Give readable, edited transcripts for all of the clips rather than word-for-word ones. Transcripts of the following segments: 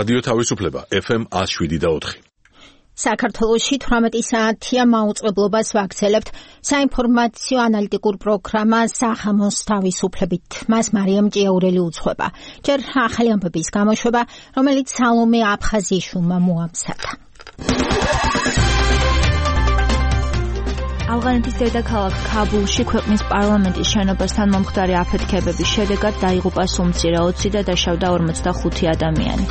რადიო თავისუფლება FM 107.4. საქართველოში 18 საათია მაუწყებლობას ვაგრძელებთ საინფორმაციო ანალიტიკურ პროგრამა სახამოს თავისუფლებით. მას მარიამ ჭიაურელი უძღვება. ჯერ ახალი ამბების გამოშვება, რომელიც სალომე აფხაზიშვილმა მოამზადა. ავღანეთის დედაქალაქ ქაბულში ქვეყნის პარლამენტის შენობასთან მომხდარი აფეთქებების შედეგად დაიღუპა სუმცირე 20 და დაშავდა 45 ადამიანი.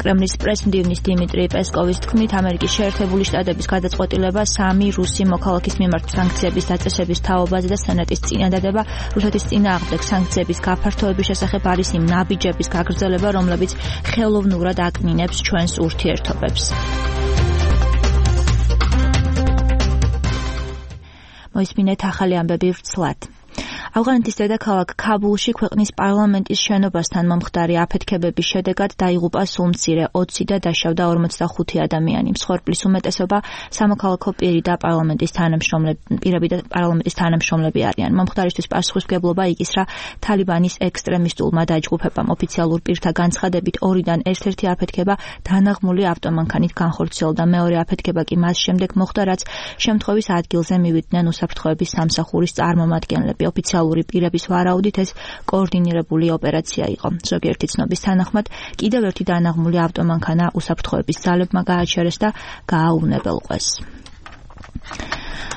კრემლის პრეზიდენტის დიმიტრი პესკოვის თქმით, ამერიკის შეერთებული შტატების გადაწყვეტილება 3 რუსი მოქალაქის მიმართ სანქციების დაწესების თაობაზე და სენატის წინადადება რუსეთის წინააღმდეგ სანქციების გაფართოების შესახებ არის იმ ნაბიჯების გაგრძელება, რომლებიც ხელოვნურად აკნინებს ჩვენს ურთიერთობებს. მოისმინეთ ახალი ამბები ვრცლად. ავღანეთის დედაქალაქ ქაბულში ქვეყნის პარლამენტის შენობასთან მომხდარი აფეთქებების შედეგად დაიღუპა სუმცირე 20 და დაშავდა 45 ადამიანი. მსხვერპლის უმეტესობა სამოქალაქო პირი და პარლამენტის თანამშრომლები არიან. მომხდარისთვის პასუხისმგებლობა იკისრა თალიბანის ექსტრემისტულმა დაჯგუფებამ. ოფიციალურ პირთა განცხადებით, ორიდან ერთ-ერთი აფეთქება დანაღმული ავტომანქანით განხორციელდა. მეორე აფეთქება კი მას შემდეგ მოხდა, რაც შემთხვევის ადგილზე მივიდნენ უსაფრთხოების სამსახურის წარმომადგენლები. ოფიციალური პირების ვარაუდით ეს კოორდინირებული ოპერაცია იყო. ზოგიერთი ცნობის თანახმად, კიდევ ერთი დანაღმული ავტომანქანა უსაფრთხოების ძალებმა გააჩერეს და გააუნებელყვეს.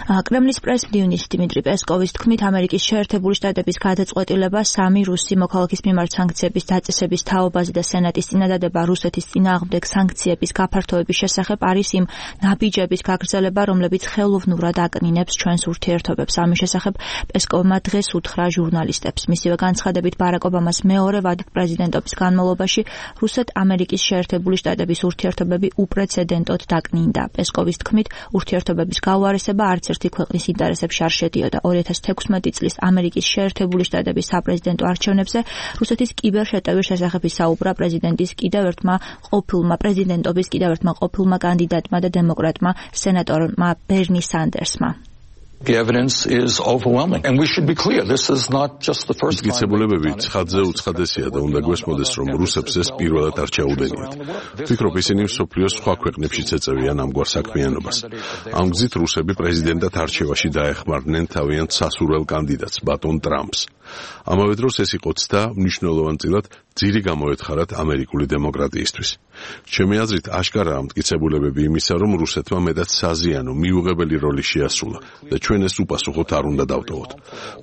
კრემლის პრეზიდენტის დიმიტრი პესკოვის თქმით, ამერიკის შეერთებული შტატების გადაწყვეტილება 3 რუსი მოქალაქის მიმართ სანქციების დაწესების თაობაზე და სენატის წინადადება რუსეთის წინააღმდეგ სანქციების გაფართოების შესახებ არის იმ ნაბიჯების გაგრძელება, რომლებიც ხელოვნურად აკნინებს ჩვენს ურთიერთობებს. ამის შესახებ პესკოვმა დღეს უთხრა ჟურნალისტებს. მისივე განცხადებით, ბარაკ ობამას მეორე ვადით პრეზიდენტობის განმავლობაში რუსეთ-ამერიკის შეერთებული შტატების ურთიერთობები უპრეცედენტოდ დაკნინდა. პესკოვის თქმით, ურთიერთობების გაუარესება არც ერთი ქვეყნის ინტერესებში არ შედიოდა. 2016 წლის ამერიკის შეერთებული შტატების საპრეზიდენტო არჩევნებზე რუსეთის კიბერშეტევის შესახებ ისაუბრა პრეზიდენტობის კიდევ ერთმა ყოფილმა კანდიდატმა და დემოკრატმა სენატორმა ბერნი სანდერსმა. The evidence is overwhelming and we should be clear, this is not just the first time. მტკიცებულებები ცხადზე უცხადესია და უნდა გვესმოდეს, რომ რუსებს ეს პირველად არ ჩაუდენიათ. ვფიქრობ, ისინი მსოფლიოს სხვა ქვეყნებშიც ეწევიან ამგვარ საქმიანობას. ამ გზით რუსები პრეზიდენტად არჩევაში დაეხმარნენ თავიანთ სასურველ კანდიდატს, ბატონ ტრამპს. ამავე დროს ეს იყო ცდა მნიშვნელოვანწილად ძირი გამოეთხარათ ამერიკული დემოკრატიისთვის. ჩემი აზრით, აშკარაა მტკიცებულებები იმისა, რომ რუსეთმა მეტად საზიანო, მიუღებელი როლი შეასრულა და ჩვენ ეს უპასუხოთ არ უნდა დავტოვოთ.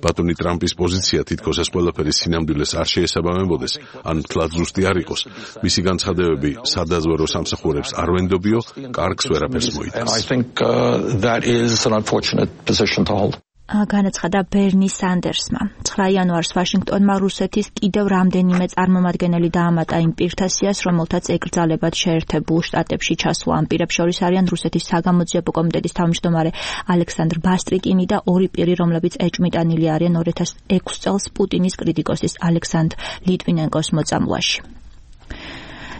ბატონი ტრამპის პოზიცია თითქოს ეს ყველაფერი სინამდვილეს არ შეესაბამებოდეს, ან მთლად ზუსტი არ იყოს. მისი განცხადებები სადაზვერო სამსახურებს არ ვენდობიო, კარგს ვერაფერს მოიტანს. I think that is an unfortunate position to hold. განაცხადა ბერნი სანდერსმა. 9 იანვარს ვაშინგტონმა რუსეთის კიდევ რამდენიმე წარმომადგენელი დაამატა იმ პირთა სიას, რომელთაც ეკრძალებათ შეერთებულ შტატებში ჩასვლა. ამ პირებს შორის არიან რუსეთის საგამოძიებო კომიტეტის თავმჯდომარე ალექსანდრ ბასტრიკინი და 2 პირი, რომლებიც ეჭვმიტანილი არიან 2006 წელს პუტინის კრიტიკოსის ალექსანდრ ლიტვინენკოს მოწამვლაში.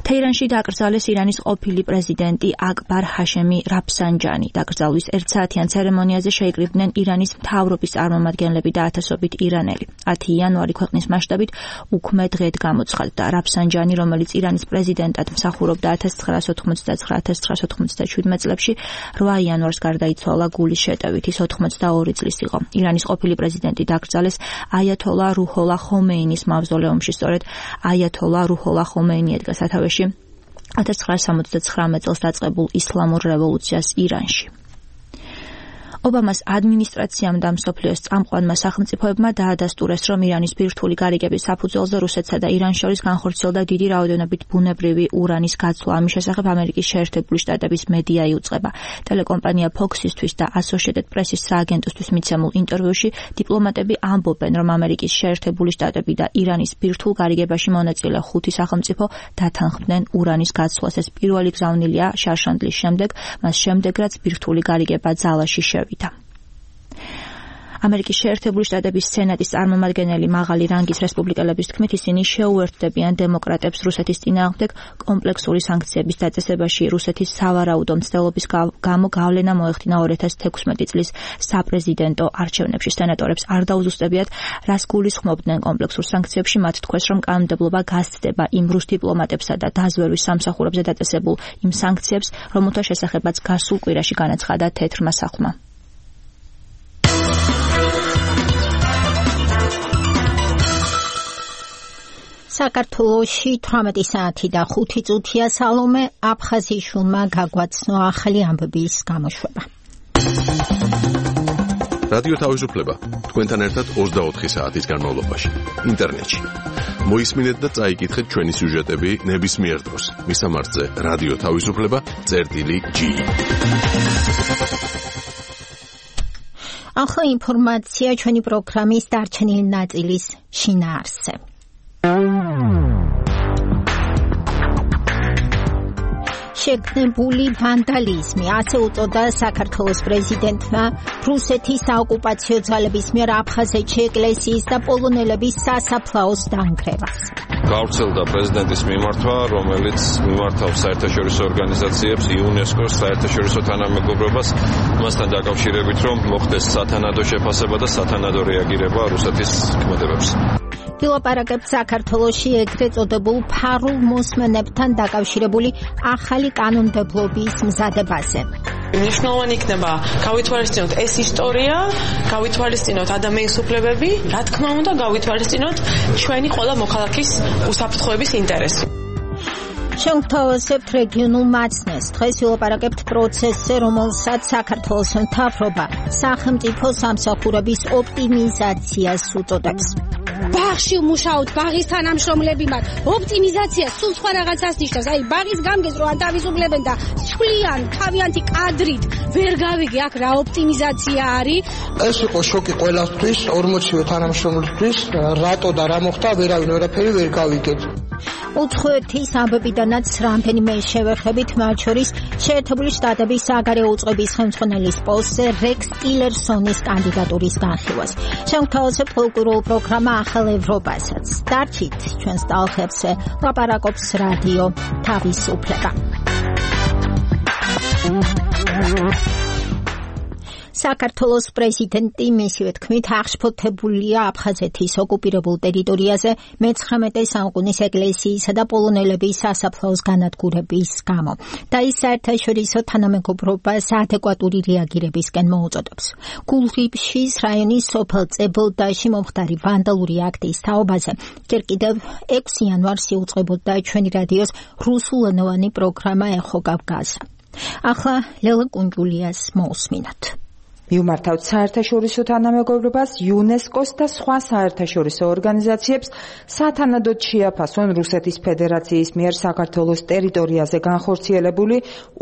თეირანში დაკრძალეს ირანის ყოფილი პრეზიდენტი აკბარ ჰაშემი რაფსანჯანი. დაკრძალვის 1 საათიან ცერემონიაზე შეიკრიბნენ ირანის მთავრობის წარმომადგენლები და ათასობით ირანელი. 10 იანვარი ქვეყნის მასშტაბით უქმე დღედ გამოცხადდა. რაფსანჯანი, რომელიც ირანის პრეზიდენტად მსახურობდა 1999-1997 წლებში, 8 იანვარს გარდაიცვალა გულის შეტევით. ის 82 წლის იყო. ირანის ყოფილი პრეზიდენტი დაკრძალეს აიათოლა რუჰოლა ხომეინის მავზოლეუმში. სწორედ აიათოლა რუჰოლა ხომეინი ედგა სათავეში 1979 წელს დაწყებულ ისლამურ რევოლუციას ირანში. ობამას ადმინისტრაციამ და მსოფლიოს წამყვანმა სახელმწიფოებმა დაადასტურეს, რომ ირანის ბირთვული გარიგების საფუძველზე რუსეთსა და իրანს შორის განხორციელდა დიდი რაოდენობით ბუნებრივი ურანის გაცვლა. ამის შესახებ ამერიკის შეერთებული შტატების მედია იუწყება. ტელეკომპანია Fox-ისთვის და Associated Press-ის სააგენტოსთვის მიცემულ ინტერვიუში დიპლომატები ამბობენ, რომ ამერიკის შეერთებული შტატები და ირანის ბირთვულ გარიგებაში მონაწილე 5 სახელმწიფო დათანხმდნენ ურანის გაცვლას. ეს პირველი გზავნილია შარშანდლის შემდეგ, მას შემდეგ რაც ბირთვული გარიგება ძალაში შევიდა. ამერიკის შეერთებული შტატების სენატის წარმომადგენელი მაღალი რანგის რესპუბლიკელების თქმით, ისინი შეუერთდებიან დემოკრატებს რუსეთის წინააღმდეგ კომპლექსური სანქციების დაწესებაში. რუსეთის სავარაუდო მცდელობის გამო გავლენა მოეხდინა 2016 წლის საპრეზიდენტო არჩევნებში. სენატორებს არ დაუზუსტებიათ, რას გულისხმობდნენ კომპლექსურ სანქციებში. მათ თქვეს, რომ კანონმდებლობა გასცდება იმ რუს დიპლომატებსა და დაზვერვის სამსახურებზე დაწესებულ იმ სანქციებს, რომელთა შესახებაც გასულ კვირაში განაცხადა თეთრმა სახლმა. საქართველოში 18 საათი და 5 წუთია. სალომე აფხაზიშვილმა გაგვაცნო ახალი ამბების გამოშვება. რადიო თავისუფლება თქვენთან ერთად 24 საათის განმავლობაში ინტერნეტში. მოისმინეთ და წაიკითხეთ ჩვენი სიუჟეტები ნებისმიერ დროს. მისამართზე რადიო თავისუფლება.gi. ახლა ინფორმაცია ჩვენი პროგრამის დარჩენილი ნაწილის შინაარსზე. შეგნებული ვანდალიზმი, ასე უწოდა საქართველოს პრეზიდენტმა რუსეთის საოკუპაციო ძალების მიერ აფხაზეთში ეკლესიის და პოლონელების სასაფლაოს დანგრევას. გავრცელდა პრეზიდენტის მიმართვა, რომელიც მიმართავს საერთაშორისო ორგანიზაციებს, იუნესკოს, საერთაშორისო თანამეგობრობას, მასთან დაკავშირებით, რომ მოხდეს სათანადო შეფასება და სათანადო რეაგირება რუსეთის ქმედებებს. ვილაპარაკებთ საქართველოში ეგრეთ წოდებულ ფარულ მოსმენებთან დაკავშირებული ახალი კანონმდებლობის მზადებაზე. მნიშვნელოვანი იქნება გავითვალისწინოთ ეს ისტორია, გავითვალისწინოთ ადამიანის უფლებები, რა თქმა უნდა გავითვალისწინოთ ჩვენი ყველა მოქალაქის უსაფრთხოების ინტერესი. შევთავაზებთ რეგიონულ მაცნეს. დღეს ვილაპარაკებთ პროცესზე, რომელსაც საქართველოს მთავრობა სახელმწიფო სამსახურების ოპტიმიზაციას უწოდებს. ბაღში მუშაობთ, ბაღის თანამშრომლები მათ. ოპტიმიზაცია სულ სხვა რაღაცას ნიშნავს. აი, ბაღის გამგეს რო ანთავისუფლებენ და სვლიან თავიანთი კადრით ვერ გავიგე აქ რა ოპტიმიზაცია არის. ეს იყო შოკი ყველასთვის, 40-ვე თანამშრომლისთვის, რატო და რა მოხდა, ვერაფერი ვერ გავიგეთ. უცხოეთის ამბებიდანაც რამდენიმე შევეხებით, მათ შორის შეერთებული შტატების საგარეო უწყების ხელმძღვანელის პოსტზე რექს ტილერსონის კანდიდატურის განხილვას. შევთავაზებთ პოლიტიკურ პროგრამა ახალ ევროპასაც. დარჩით ჩვენს ტალღებზე, ლაპარაკობს რადიო თავისუფლება. საქართველოს პრეზიდენტი მისივე თქმით აღშფოთებულია აფხაზეთის ოკუპირებულ ტერიტორიაზე მე-19 საუკუნის ეკლესიისა და პოლონელების სასაფლაოს განადგურების გამო და ის საერთაშორისო თანამეგობრობას ადეკვატური რეაგირებისკენ მოუწოდებს. გულრიფშის რაიონის სოფელ წებელდაში მომხდარი ვანდალური აქტის თაობაზე ჯერ კიდევ 6 იანვარს იუწყებოდა ჩვენი რადიოს რუსულენოვანი პროგრამა ეხო კავკაზა. ახლა ლელა კუნჯულიას მოусმინოთ. მიმართავთ საერთაშორისო თანამეგობრობას, იუნესკოს და სხვა საერთაშორისო ორგანიზაციებს სათანადოდ შეაფასონ რუსეთის ფედერაციის მიერ საქართველოს ტერიტორიაზე განხორციელებული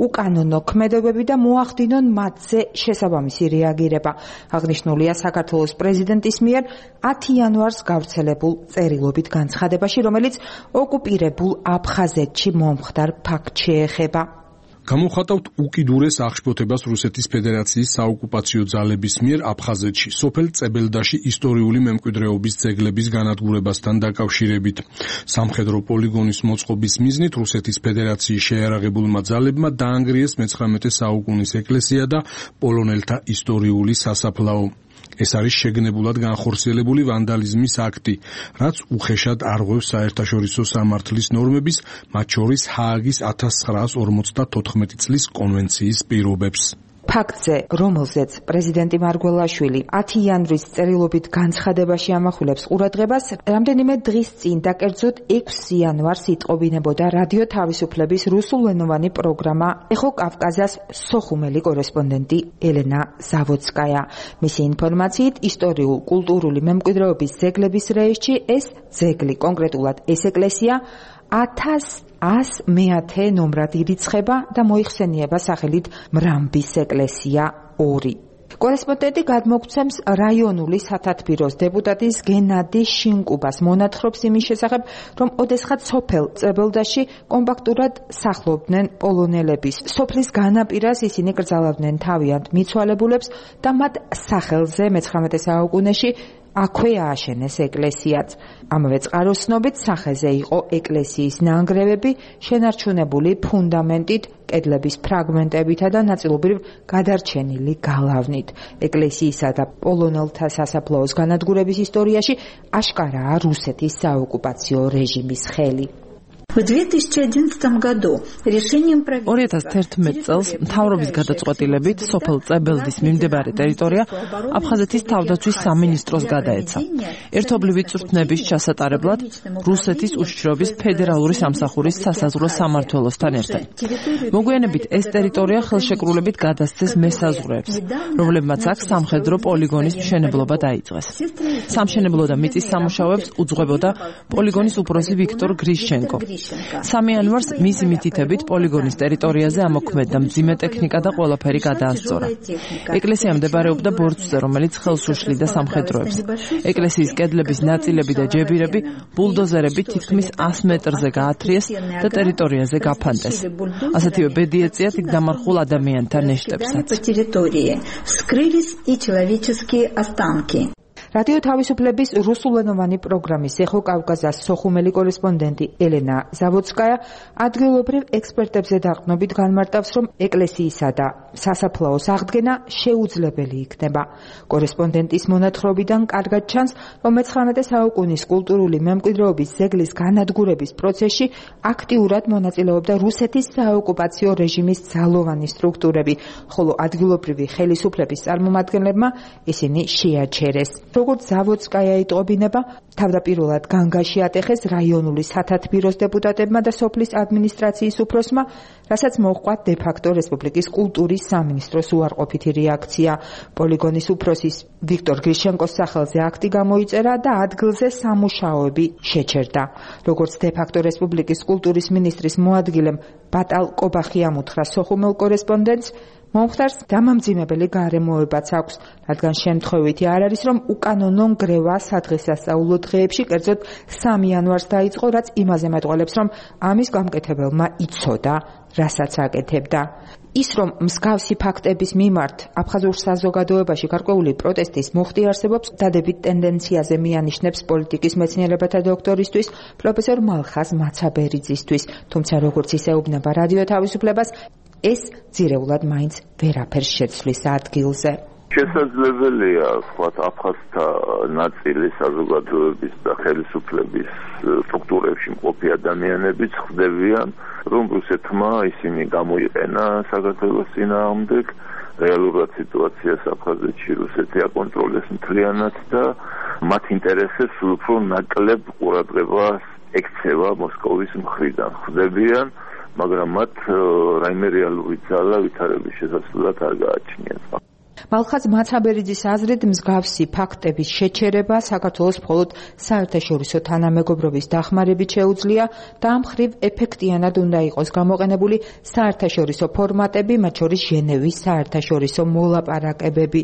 უკანონო ქმედებები და მოახდინონ მათზე შესაბამისი რეაგირება. აღნიშნულია საქართველოს პრეზიდენტის მიერ 10 იანვარს გავრცელებულ წერილობით განცხადებაში, რომელიც ოკუპირებულ აფხაზეთში მომხდარ ფაქტს შეეხება. გამოვხატავთ უკიდურეს აღშფოთებას რუსეთის ფედერაციის საოკუპაციო ძალების მიერ აფხაზეთში, სოფელ წებელდაში ისტორიული მემკვიდრეობის ძეგლების განადგურებასთან დაკავშირებით. სამხედრო პოლიგონის მოწყობის მიზნით რუსეთის ფედერაციის შეიარაღებულმა ძალებმა დაანგრიეს მე-19 საუკუნის ეკლესია და პოლონელთა ისტორიული სასაფლაო. ეს არის შეგნებულად განხორციელებული ვანდალიზმის აქტი, რაც უხეშად არღვევს საერთაშორისო სამართლის ნორმების, მათ შორის ჰააგის 1954 წლის კონვენციის პირობებს. ფაქტზე, რომელზეც პრეზიდენტი მარგველაშვილი 10 იანვრის წერილობით განცხადებაში ამახვილებს ყურადღებას, რამდენიმე დღის წინ და კერძოდ 6 იანვარს იტყობინებოდა რადიო თავისუფლების რუსულენოვანი პროგრამა ეხო კავკაზას სოხუმელი კორესპონდენტი ელენა ზავოდსკაია. მისი ინფორმაციით, ისტორიულ-კულტურული მემკვიდრეობის ძეგლების რეესტში ეს ძეგლი, კონკრეტულად ეს ეკლესია 1100 ნომრად ირიცხება და მოიხსენიება სახელით მრამბის ეკლესია 2. კორესპონდენტი გადმოგცემს რაიონული სათათბიროს დეპუტატის გენადი შინკუბას მონათხრობს იმის შესახებ, რომ ოდესღაც სოფელ წებელდაში კომპაქტურად სახლობდნენ პოლონელების. სოფლის განაპირას ისინი კრძალავდნენ თავიანთ მიცვალებულებს და მათ სახელზე მე-19 საუკუნეში აქვე ააშენეს ეკლესიაც. ამავე წყაროს ცნობით სახეზე იყო ეკლესიის ნანგრევები, შენარჩუნებული ფუნდამენტით, კედლების ფრაგმენტებითა და ნაწილობრივ გადარჩენილი გალავნით. ეკლესიისა და პოლონელთა სასაფლაოს განადგურების ისტორიაში აშკარაა რუსეთის საოკუპაციო რეჟიმის ხელი. В 2011 году решением правительства 2011 წელს მთავრობის გადაწყვეტილებით სოფელ წებელდის მიმდებარე ტერიტორია აფხაზეთის თავდაცვის სამინისტროს გადაეცა. ერთობლივი წვრთნების ჩასატარებლად რუსეთის უშიშროების ფედერალური სამსახურის სასაზღვრო სამმართველოსთან ერთად. მოგვიანებით ეს ტერიტორია ხელშეკრულებით გადასცეს მესაზღვრეებს, რომლებმაც აქ სამხედრო პოლიგონის მშენებლობა დაიწყეს. სამშენებლო და მიწის სამუშაოებს უძღვებოდა პოლიგონის უფროსი ვიქტორ გრიშჩენკო. 3 იანვარს მისი მითითებით პოლიგონის ტერიტორიაზე ამოქმედდა მძიმე ტექნიკა და ყველაფერი გადაასწორა. ეკლესია მდებარეობდა ბორცვზე, რომელიც ხელს უშლიდა სამხედროებს. ეკლესიის კედლების ნაწილები და ჯებირები ბულდოზერებით თითქმის 100 მეტრზე გაათრიეს და ტერიტორიაზე გაფანტეს. ასეთივე ბედი ეწიათ იქ დამარხულ ადამიანთა ნეშტებსაც. რადიო თავისუფლების რუსულენოვანი პროგრამის ეხო კავკასიის სოხუმელი კორესპონდენტი ელენა ზავოდსკაია ადგილობრივ ექსპერტებზე დაყრდნობით განმარტავს, რომ ეკლესიისა და სასაფლაოს აღდგენა შეუძლებელი იქნება. კორესპონდენტის მონათხრობიდან კარგად ჩანს, რომ მე-19 საუკუნის კულტურული მემკვიდრეობის ძეგლის განადგურების პროცესში აქტიურად მონაწილეობდა რუსეთის საოკუპაციო რეჟიმის ძალოვანი სტრუქტურები, ხოლო ადგილობრივი ხელისუფლების წარმომადგენლებმა ისინი შეაჩერეს. როგორც ზავოდსკაია იტყობინება, თავდაპირველად განგაში ატეხეს რაიონული სათათბიროს დეპუტატებმა და სოფლის ადმინისტრაციის უფროსმა, რასაც მოჰყვა დე-ფაქტო რესპუბლიკის კულტურის სამინისტროს უარყოფითი რეაქცია. პოლიგონის უფროსის ვიქტორ გრიშჩენკოს სახელზე აქტი გამოიწერა და ადგილზე სამუშაოები შეჩერდა. როგორც დე-ფაქტო რესპუბლიკის კულტურის მინისტრის მოადგილემ ბატალ კობახიამ უთხრა სოხუმელ კორესპონდენტს, მომხდარს დამამძიმებელი გარემოებაც აქვს, რადგან შემთხვევითი არ არის, რომ უკანონო ნგრევა სადღესასწაულო დღეებში, კერძოდ 3 იანვარს დაიწყო, რაც იმაზე მეტყველებს, რომ ამის გამკეთებელმა იცოდა, რასაც აკეთებდა. ის, რომ მსგავსი ფაქტების მიმართ აფხაზურ საზოგადოებაში გარკვეული პროტესტის მუხტი არსებობს, დადებით ტენდენციაზე მიანიშნებს პოლიტიკის მეცნიერებათა დოქტორისთვის პროფესორ მალხაზ მაცაბერიძისთვის, თუმცა როგორც ისეუბნება რადიო თავისუფლებას, ეს ძირეულად მაინც ვერაფერს შეცვლის ადგილზე. შესაძლებელია სხვათ აფხაზთა ნაწილი საზოგადოების და ხელისუფლების სტრუქტურებში მყოფი ადამიანებიც ხდებიან, რომ რუსეთმა ისინი გამოიყენა საქართველოს წინააღმდეგ, რეალურად სიტუაციას აფხაზეთში რუსეთი აკონტროლეს მთლიანად და მათ ინტერესებს უფრო ნაკლებ ყურადღებას ექცევა მოსკოვის მხრიდან ხდებიან, მაგრამ მათ რაიმე რეალური ძალა ვითარების შესაძლებლად არ გააჩნიათ. მალხაზ მაცაბერიძის აზრით მსგავსი ფაქტების შეჩერება საქართველოს მხოლოდ საერთაშორისო თანამეგობრობის დახმარებით შეუძლია და ამ მხრივ ეფექტიანად უნდა იყოს გამოყენებული საერთაშორისო ფორმატები, მათ შორის ჟენევის საერთაშორისო მოლაპარაკებები.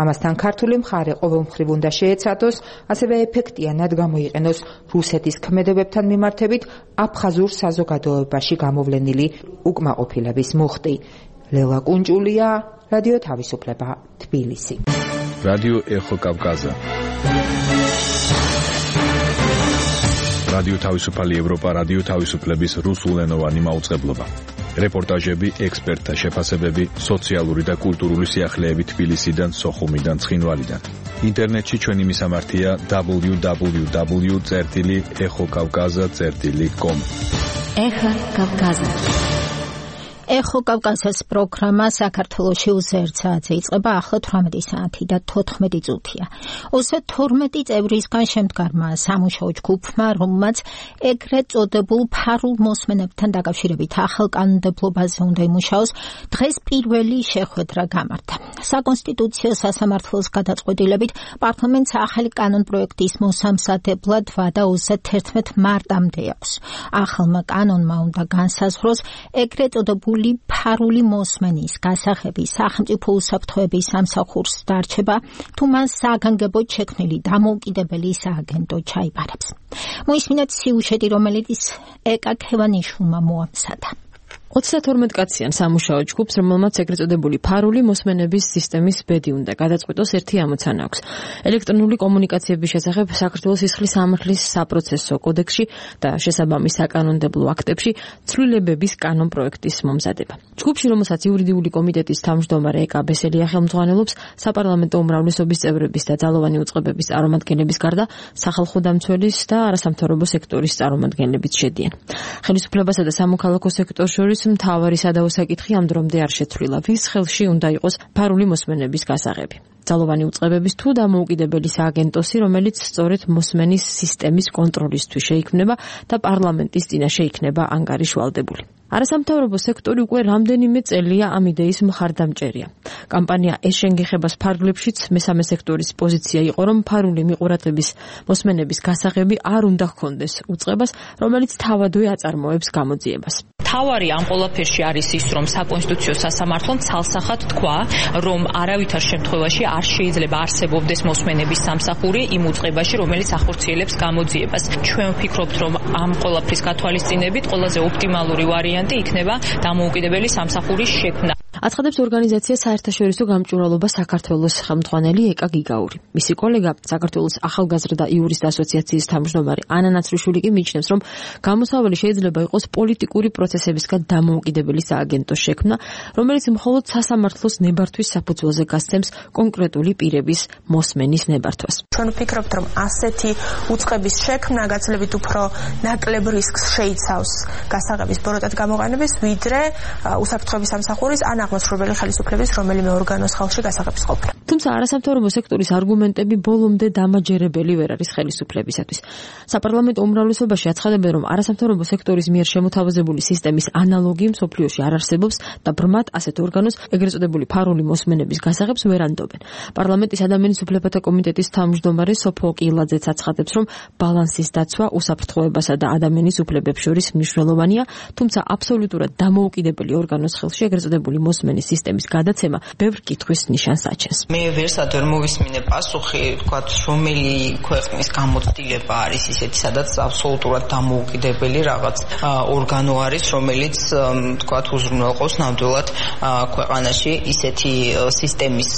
ამასთან ქართული მხარე ყოველ მხრივ უნდა შეეცადოს, ასევე ეფექტიანად გამოიყენოს რუსეთის ქმედებებთან მიმართებით აფხაზურ საზოგადოებაში გამოვლენილი უკმაყოფილების მუხტი. ლელა კუნჭულია, რადიო თავისუფლება, თბილისი. რადიო ეხო კავკასია. რადიო თავისუფალი ევროპა, რადიო თავისუფლების რუსულენოვანი მაუწყებლობა. რეპორტაჟები, ექსპერტთა შეფასებები, სოციალური და კულტურული სიახლეები თბილისიდან, სოხუმიდან, ცხინვალიდან. ინტერნეტში ჩვენი მისამართია www.ეხოკავკაზა.com. ეხა კავკასია. ეხო კავკასიის პროგრამა საქართველოში უზერთ საათზე იწყება, ახლა 18 საათი და 14 წუთია. 12 წევრისგან შემდგარმა სამუშაო ჯგუფმა, რომელმაც ეგრეთ წოდებულ ფარულ მოსმენებთან დაკავშირებით ახალ კანონმდებლობაზე უნდა იმუშაოს, დღეს პირველი შეხვედრა გამართა. საკონსტიტუციო სასამართლოს გადაწყვეტილებით პარლამენტს ახალი კანონპროექტის მოსამზადებლად ვადა 31 მარტამდე აქვს. ახალმა კანონმა უნდა განსაზღვროს ეგრეთ წოდებული ჩართული ფარული მოსმენის გასაღები სახელმწიფო უსაფრთხოების სამსახურს დარჩება, თუ მან საგანგებოდ შექმნილი დამოუკიდებელი სააგენტო ჩაიბარებს. მოისმინეთ სიუჟეტი, რომელიც ეკა ქევანიშვილმა მოამზადა. 32 კაციან სამუშაო ჯგუფს, რომელმაც ეგრეთ წოდებული ფარული მოსმენების სისტემის ბედი უნდა გადაწყვიტოს, ერთი ამოცანა აქვს. ელექტრონული კომუნიკაციების შესახებ საქართველოს სისხლის სამართლის საპროცესო კოდექსში და შესაბამის საკანონმდებლო აქტებში ცვლილებების კანონპროექტის მომზადება. ჯგუფში, რომელსაც იურიდიული კომიტეტის თავმჯდომარე ეკა ბესელია ხელმძღვანელობს, საპარლამენტო უმრავლესობის წევრების და ძალოვანი უწყებების წარმომადგენლების გარდა სახალხო დამცველის და არასამთავრობო სექტორის წარმომადგენლებიც შედიან. ხელისუფლებასა და სამოქალაქო სექტორს შორის მთავარი სადავო საკითხი ამ დრომდე არ შეცვლილა, ვის ხელში უნდა იყოს ფარული მოსმენების გასაღები. ძალოვანი უწყებების თუ დამოუკიდებელი სააგენტოსი, რომელიც სწორედ მოსმენის სისტემის კონტროლისთვის შეიქმნება და პარლამენტის წინაშე იქნება ანგარიშვალდებული. არასამთავრობო სექტორი უკვე რამდენიმე წელია ამ იდეის მხარდამჭერია. კამპანია ეს შენგიხებას ფარგლებშიც მესამე სექტორის პოზიცია იყო, რომ ფარული მიყურადღების მოსმენების გასაღები არ უნდა ჰქონდეს უწყებას, რომელიც თავადვე აწარმოებს გამოძიებას. თავარი ამ ყველაფერში არის ის, რომ საკონსტიტუციო სასამართლომ ცალსახად თქვა, რომ არავითარ შემთხვევაში არ შეიძლება არსებობდეს მოსმენების სამსახური იმ უწყებაში, რომელიც ახორციელებს გამოძიებას. ჩვენ ვფიქრობთ, რომ ამ ყველაფრის გათვალისწინებით ყველაზე ოპტიმალური ვარიანტი იქნება დამოუკიდებელი სამსახურის შექმნა. აცხადებს ორგანიზაცია საერთაშორისო გამჭვირვალობა საქართველოს ხელმძღვანელი ეკა გიგაური. მისი კოლეგა, საქართველოს ახალგაზრდა იურისტ ასოციაციის თავმჯდომარე ანა ნაცრიშვილი კი მიიჩნევს, რომ გამოსავალი შეიძლება იყოს პოლიტიკური პროცესებისგან დამოუკიდებელი სააგენტოს შექმნა, რომელიც მხოლოდ სასამართლოს ნებართვის საფუძველზე გასცემს კონკრეტული პირების მოსმენის ნებართვას. ჩვენ ვფიქრობთ, რომ ასეთი უწყების შექმნა გაცილებით უფრო ნაკლებ რისკს შეიცავს გასაღების ბოროტად გამოყენების, ვიდრე უსაფრთხოების სამსახურის ან აღმასრულებელი ხელისუფლების რომელიმე ორგანოს ხალხში გასაღების ყოფნა. თუმცა არასამთავრობო სექტორის არგუმენტები ბოლომდე დამაჯერებელი ვერ არის ხელისუფლებისათვის. საპარლამენტო უმრავლესობაში აცხადებენ, რომ არასამთავრობო სექტორის მიერ შემოთავაზებული სისტემის ანალოგი მსოფლიოში არ არსებობს და ბრმად ასეთ ორგანოს ეგრეთ წოდებული ფარული მოსმენების გასაღებს ვერ ანდობენ. პარლამენტის ადამიანის უფლებათა კომიტეტის თავმჯდომარე სოფო კილაძეც აცხადებს, რომ ბალანსის დაცვა უსაფრთხოებასა და ადამიანის უფლებებს შორის მნიშვნელოვანია, თუმცა აბსოლუტურად დამოუკიდებელი ორგანოს ხელში ეგრეთ წოდებული მოსმენის სისტემის გადაცემა ბევრ კითხვის ნიშანს აჩენს. მე ვერსად ვერ მოვისმინე პასუხი, თქვათ, რომელი ქვეყნის გამოცდილება არის ისეთი, სადაც აბსოლუტურად დამოუკიდებელი რაღაც ორგანო არის, რომელიც თქვათ უზრუნველყოფს ნამდვილად ქვეყანაში ისეთი სისტემის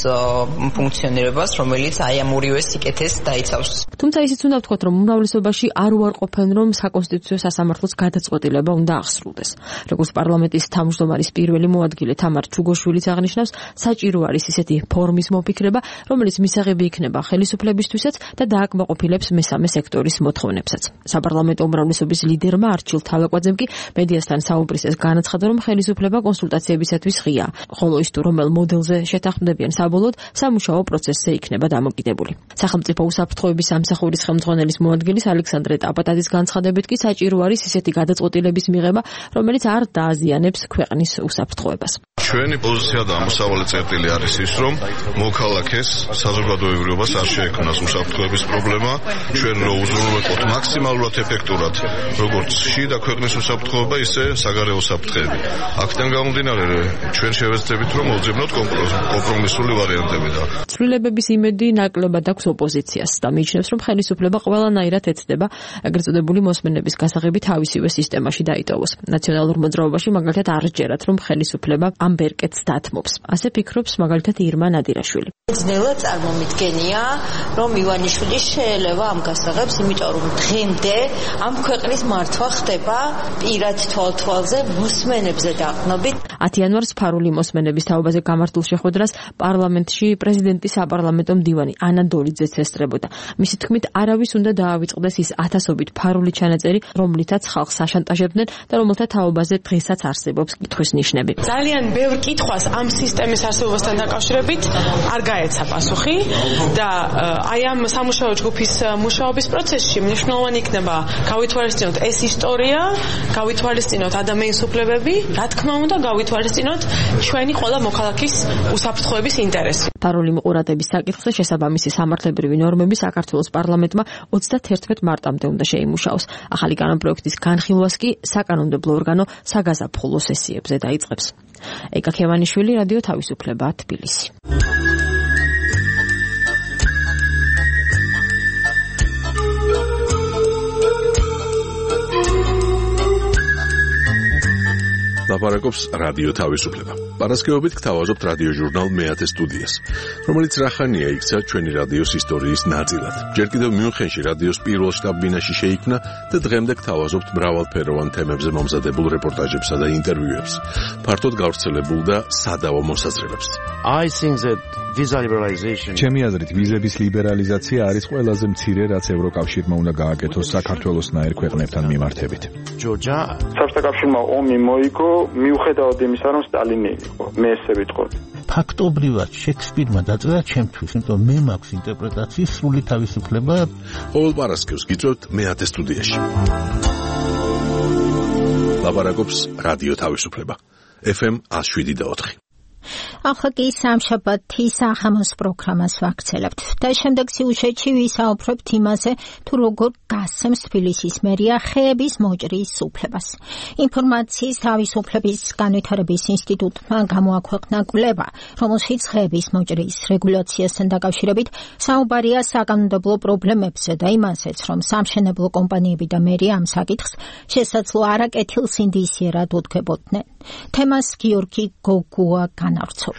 ფუნქციონირებას, რომელიც აი ამ ორივე სიკეთეს დაიცავს. თუმცა ისიც უნდა ვთქვათ, რომ უმრავლესობაში არ უარყოფენ, რომ საკონსტიტუციო სასამართლოს გადაწყვეტილება უნდა აღსრულდეს. როგორც პარლამენტის თავმჯდომარის პირველი მოადგილე თამარ ჩუგოშვილიც აღნიშნავს, საჭირო არის ისეთი ფორმის მოფიქრება, რომელიც მისაღები იქნება ხელისუფლებისთვისაც და დააკმაყოფილებს მესამე სექტორის მოთხოვნებსაც. საპარლამენტო უმრავლესობის ლიდერმა არჩილ თავაკვაძემ კი მედიასთან საუბრისას განაცხადა, რომ ხელისუფლება კონსულტაციებისათვის ღია, ხოლო ის თუ რომელ მოდელზე შეთანხმდებიან საბოლოოდ სამუშაო პროცესზე იქნება დამოკიდებული. სახელმწიფო უსაფრთხოების სამსახურის ხელმძღვანელის მოადგილის ალექსანდრე ტაპატაძის განცხადებით კი საჭირო არის ისეთი გადაწყვეტილების მიღება, რომელიც არ დააზიანებს ქვეყნის უსაფრთხოებას. ჩვენი პოზიცია და ამოსავალი წერტილი არის ის, რომ მოქალაქეს საზოგადოებრივობას არ შეექმნას უსაფრთხოების პრობლემა, ჩვენ რო უზრუნველყოთ მაქსიმალურად ეფექტურად როგორც შიდა ქვეყნის უსაფრთხოება, ისე საგარეო საფრთხეები. აქედან გამომდინარე, ჩვენ შევეცდებით, რომ მოვძებნოთ კომპრომისული ვარიანტები და ცვლილებების იმედი ნაკლებად აქვს ოპოზიციას და მიიჩნევს, რომ ხელისუფლება ყველანაირად ეცდება ეგრეთ წოდებული მოსმენების გასაღები თავისივე სისტემაში დაიტოვოს. ნაციონალურ მოძრაობაში მაგალითად არ ჯერათ, რომ ხელისუფლება ამ ბერკეტს დათმობს. ასე ფიქრობს მაგალითად ირმა ნადირაშვილი. ძნელად წარმომიდგენია, რომ ივანიშვილი შეელევა ამ გასაღებს, იმიტომ რომ დღემდე ამ ქვეყნის მართვა ხდება პირად თვალთვალზე მოსმენებზე დაყრდნობით. 10 იანვარს ფარული მოსმენების თაობაზე გამართულ შეხვედრას პარლამენტში პრეზიდენტის საპარლამენტო მდივანი ანა დოლიძეც ესწრებოდა. მისი თქმით, არავის უნდა დაავიწყდეს ის ათასობით ფარული ჩანაწერი, რომლითაც ხალხს აშანტაჟებდნენ და რომელთა თაობაზე დღესაც არსებობს კითხვის ნიშნები. ძალიან ბევრ კითხვას ამ სისტემის არსებობასთან დაკავშირებით არ გაეცა პასუხი და აი ამ სამუშაო ჯგუფის მუშაობის პროცესში მნიშვნელოვანი იქნება გავითვალისწინოთ ეს ისტორია, გავითვალისწინოთ ადამიანის უფლებები, რა თქმა უნდა გავითვალისწინოთ ჩვენი ყველა მოქალაქის უსაფრთხოების ინტერესი. ფარული მიყურადების საკითხზე შესაბამისი სამართლებრივი ნორმები საქართველოს პარლამენტმა 31 მარტამდე უნდა შეიმუშაოს. ახალი კანონპროექტის განხილვას კი საკანონმდებლო ორგანო საგაზაფხულო სესიებზე დაიწყებს. ეკა ქევანიშვილი, რადიო თავისუფლება, თბილისი. ლაპარაკობს რადიო თავისუფლება. პარასკევობით გთავაზობთ რადიო ჟურნალ მეათე სტუდიას, რომელიც რახანია იქცა ჩვენი რადიოს ისტორიის ნაწილად. ჯერ კიდევ მიუნხენში რადიოს პირველ შტაბ-ბინაში შეიქმნა და დღემდე გთავაზობთ მრავალფეროვან თემებზე მომზადებულ რეპორტაჟებსა და ინტერვიუებს, ფართოდ გავრცელებულ და სადავო მოსაზრებებს. ჩემი აზრით, ვიზების ლიბერალიზაცია არის ყველაზე მცირე, რაც ევროკავშირმა უნდა გააკეთოს საქართველოსნაირ ქვეყნებთან მიმართებით. საბჭოთა კავშირმა ომი მოიგო, მიუხედავად იმისა, რომ სტალინი იყო, მე ესე ვიტყოდი. ფაქტობრივად შექსპირმა დაწერა ჩემთვის, იმიტომ მე მაქვს ინტერპრეტაციის სრული თავისუფლება. ყოველ პარასკევს გიწევთ მეათე სტუდიაში. ლაპარაკობს რადიო თავისუფლება. FM 107.4. ახლა კი სამშაბათი საღამოს პროგრამას ვაგრძელებთ და შემდეგ სიუჟეტში ვისაუბრებთ იმაზე, თუ როგორ გასცემს თბილისის მერია ხეების მოჭრის უფლებას. ინფორმაციის თავისუფლების განვითარების ინსტიტუტმა გამოაქვეყნა კვლევა, რომელშიც ხეების მოჭრის რეგულაციასთან დაკავშირებით საუბარია საკანონმდებლო პრობლემებზე და იმასაც, რომ სამშენებლო კომპანიები და მერია ამ საკითხს შესაძლო არაკეთილსინდისიერად უდგებოდნენ. თემას გიორგი გოგუა განავრცობს.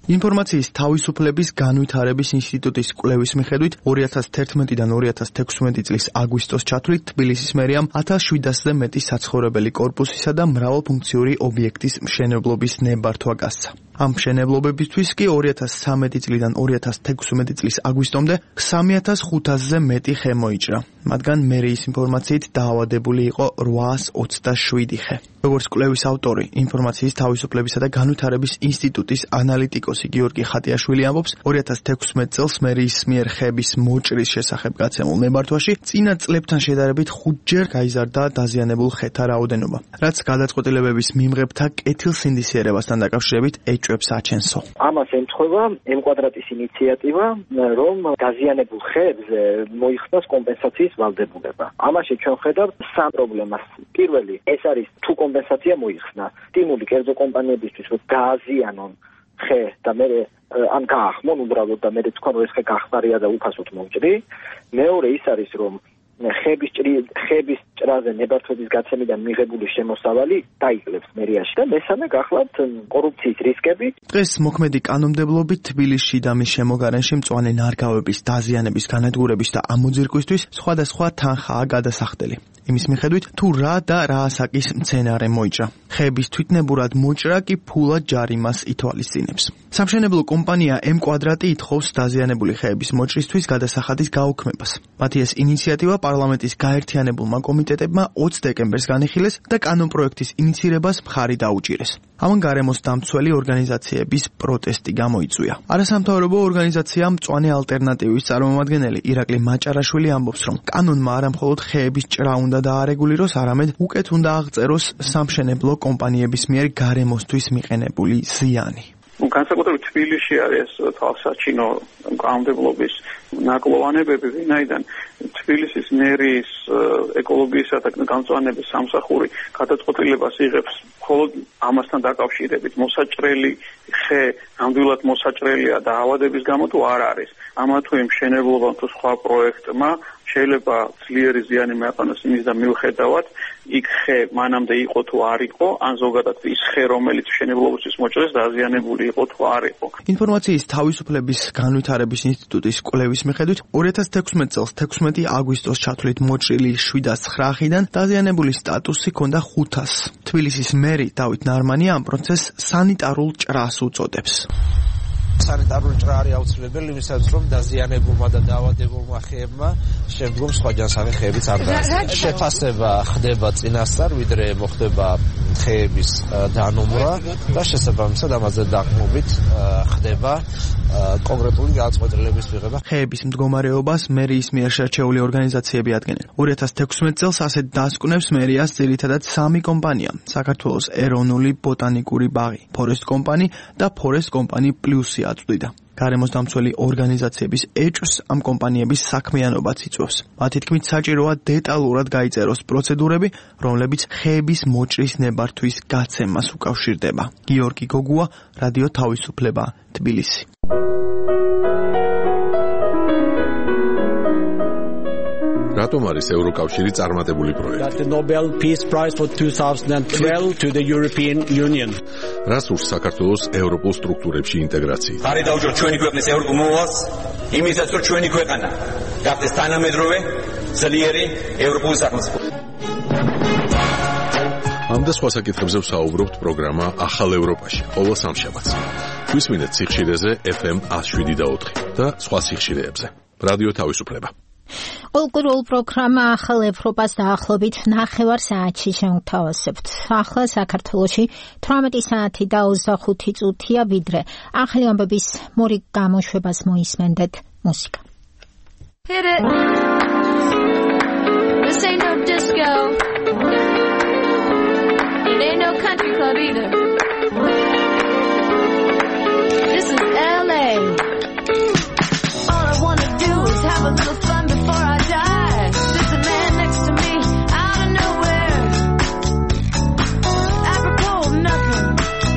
ინფორმაციის თავისუფლების განვითარების ინსტიტუტის კვლევის მიხედვით 2011-დან 2016 წლის აგვისტოს ჩათვლით თბილისის მერიამ 1700-ზე მეტი საცხოვრებელი კორპუსისა და მრავალფუნქციური ობიექტის მშენებლობის ნებართვა გასცა. ამ მშენებლობებისთვის კი 2013 წლიდან 2016 წლის აგვისტომდე 3500-ზე მეტი ხე მოიჭრა. მათგან მერიის ინფორმაციით დაავადებული იყო 827 ხე. როგორც კვლევის ავტორი, ინფორმაციის თავისუფლებისა და განვითარების ინსტიტუტის ანალიტიკოსი გიორგი ხატიაშვილი ამბობს, 2016 წელს მერიის მიერ ხეების მოჭრის შესახებ გაცემულ ნებართვაში წინა წლებთან შედარებით 5-ჯერ გაიზარდა დაზიანებულ ხეთა რაოდენობა, რაც გადაწყვეტილებების მიმღებთა კეთილსინდისიერებასთან დაკავშირებით ეჭვებს აჩენსო. ამას ემთხვევა M-კვადრატის ინიციატივა, რომ დაზიანებულ ხეებზე მოიხსნას კომპენსაციის ვალდებულება. ამაში ჩვენ ხედავთ სამ პრობლემას. პირველი, ეს არის თუ კომპენსაცია მოიხსნა, სტიმული კერძო კომპანიებისთვის, რომ გააზიანონ ხე და მე ან გაახმონ უბრალოდ და მე თქვენ რომ ეს ხე გახმარია და უფასოდ მომჭრი. მეორე ის არის, რომ ხეების ჭრაზე ნებართვების გაცემიდან მიღებული შემოსავალი დაიკლებს მერიაში და მესამე გახლავთ კორუფციის რისკები. დღეს მოქმედი კანონმდებლობით თბილისში და მის შემოგარენში მწვანე ნარგავების დაზიანების განადგურების და ამოძირკვისთვის სხვადასხვა თანხაა გადასახდელი. იმის მიხედვით თუ რა და რა ასაკის მცენარე მოიჭრა. ხეების თვითნებურად მოჭრა კი ფულად ჯარიმას ითვალისწინებს. სამშენებლო კომპანია M-კვადრატი ითხოვს დაზიანებული ხეების მოჭრისთვის გადასახადის გაუქმებას. მათი ეს ინიციატივა პარლამენტის გაერთიანებულმა კომიტეტებმა 20 დეკემბერს განიხილეს და კანონპროექტის ინიცირებას მხარი დაუჭირეს. ამან გარემოს დამცველი ორგანიზაციების პროტესტი გამოიწვია. არასამთავრობო ორგანიზაცია მწვანე ალტერნატივის წარმომადგენელი ირაკლი მაჭარაშვილი ამბობს, რომ კანონმა არა მხოლოდ ხეების ჭრა უნდა დაარეგულიროს, არამედ უკეთ უნდა აღწეროს სამშენებლო კომპანიების მიერ გარემოსთვის მიყენებული ზიანი. განსაკუთრებით თბილისში არის თვალსაჩინო კანონმდებლობის ნაკლოვანებები, ვინაიდან თბილისის მერიის ეკოლოგიისა და გამწვანების სამსახური გადაწყვეტილებას იღებს მხოლოდ ამასთან დაკავშირებით. მოსაჭრელი ხე ნამდვილად მოსაჭრელია და ავადების გამო თუ არ არის. ამა თუ იმ მშენებლობამ თუ სხვა პროექტმა შეიძლება ძლიერი ზიანი მეყენოს იმის და მიუხედავად იქ ხე მანამდე იყო თუ არ იყო, ან ზოგადად ის ხე რომელიც მშენებლობისთვის მოჭრეს დაზიანებული იყო თუ არ იყო. ინფორმაციის თავისუფლების განვითარების ინსტიტუტის კვლევის მიხედვით 2016 წელს 16 აგვისტოს ჩათვლით მოჭრილი 709 ხიდან დაზიანებული სტატუსი ჰქონდა 500. თბილისის მერი დავით ნარმანი ამ პროცესს სანიტარულ ჭრას უწოდებს. სანიტარული ჭრა არის აუცილებელი იმისათვის, რომ დაზიანებულმა და დაავადებულმა ხეებმა შემდგომ სხვა ჯანსაღი ხეებიც არ გააჩნიათ. შეფასება ხდება წინასწარ, ვიდრე მოხდება თხეების დანომრა და შესაბამისად ამაზე დაკმობით ხდება კონკრეტული გადაწყვეტილებების მიღება. ხეების მდგომარეობას მერიის მიერ შერჩეული ორგანიზაციები ადგენენ. 2016 წელს ასეთ დასკვნებს მერიას ძირითადად 3 კომპანია: საქართველოს ეროვნული ბოტანიკური ბაღი, ფორესტ კომპანი და ფორესტ კომპანი პლუსი აწვდიდა. გარემოს დამცველი ორგანიზაციების ეჭვს ამ კომპანიების საქმიანობაც იწვევს. მათი თქმით, საჭიროა დეტალურად გაიწეროს პროცედურები, რომლებიც ხეების მოჭრის ნებართვის გაცემას უკავშირდება. გიორგი გოგუა, რადიო თავისუფლება, თბილისი. რატომ არის ევროკავშირი წარმატებული პროექტი? The Nobel Peace Prize for 2012 to the European Union. რას ურს საქართველოს ევროპულ სტრუქტურებში ინტეგრაციით? ხარი დავუჯოთ ჩვენი ქვეყნის ევროპულ მოვალს, იმისაც რომ ჩვენი ქვეყანა გახდეს თანამედროვე, ძლიერი ევროპული სახელმწიფო. ამ და სხვა საკითხებზე ვსაუბრობთ პროგრამა ახალ ევროპაში, ყოველ სამშაბათს. გვისმინეთ სიხშირეზე FM 107.4 და სხვა სიხშირეებზე. რადიო თავისუფლება. Ოლკურულ პროგრამა ახალ ევროპას დაახლოებით 9 საათში შევთავაზებთ. ახლა საქართველოში 18 საათი და 25 წუთია, ვიდრე ახალი ამბების მორიგ გამოშვებას მოისმენდეთ მუსიკა. Hit it. This ain't no disco. It ain't no country club either. This is LA. All I wanna do is have a little fun before I die. There's a man next to me out of nowhere. Apropos of nothing.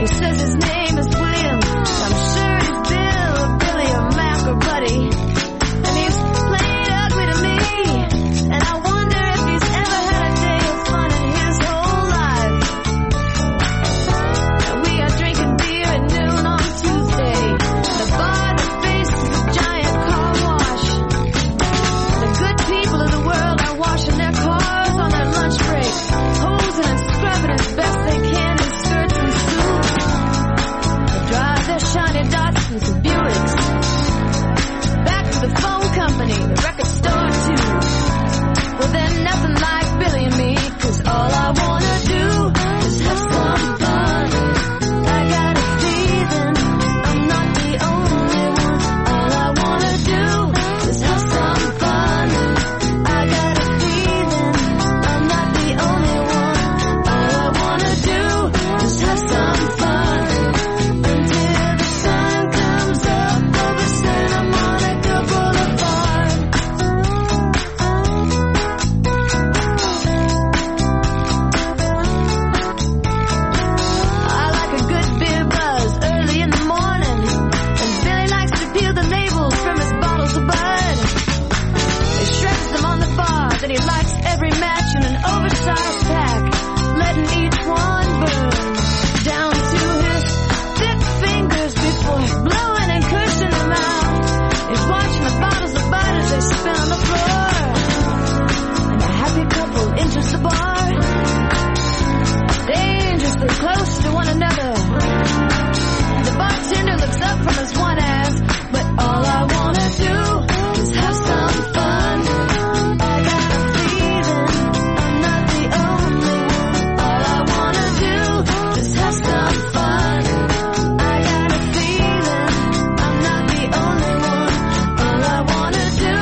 He says his name is William. I'm sure he's Bill or Billy or Mac or Buddy. And he's played ugly to me. And I wonder if he's ever had a day of fun in his whole life. And we are drinking beer at noon on Tuesday. The bar that faces the giant car wash. The good people of the world are washing their cars on their lunch break, hosing and scrubbing as best they can in skirts and suits. They drive their shiny Datsuns and Buicks back to the phone company, the record store too. Well, they're nothing like Billy and me, 'cause all I wanna do is have some fun. I got a feeling I'm not the only one. All I wanna do is have some fun. I got a feeling I'm not the only one. All I wanna do is have some fun until the sun comes up over Santa Monica Boulevard. I like a good beer buzz early in the morning, and Billy likes to peel the labels from his bottles of bud. He shreds them on the bar, then he lights every match in an oversized pack, letting each one burn down to his thick fingers before blowing and cursing them out. He's watching the bottles of bud as they spin on the floor, and a happy couple enters the bar, dangerously close to one another. The bartender looks up from his one ass, but all I wanna do is have some fun. I got a feeling I'm not the only one. All I wanna do is have some fun. I got a feeling I'm not the only one. All I wanna do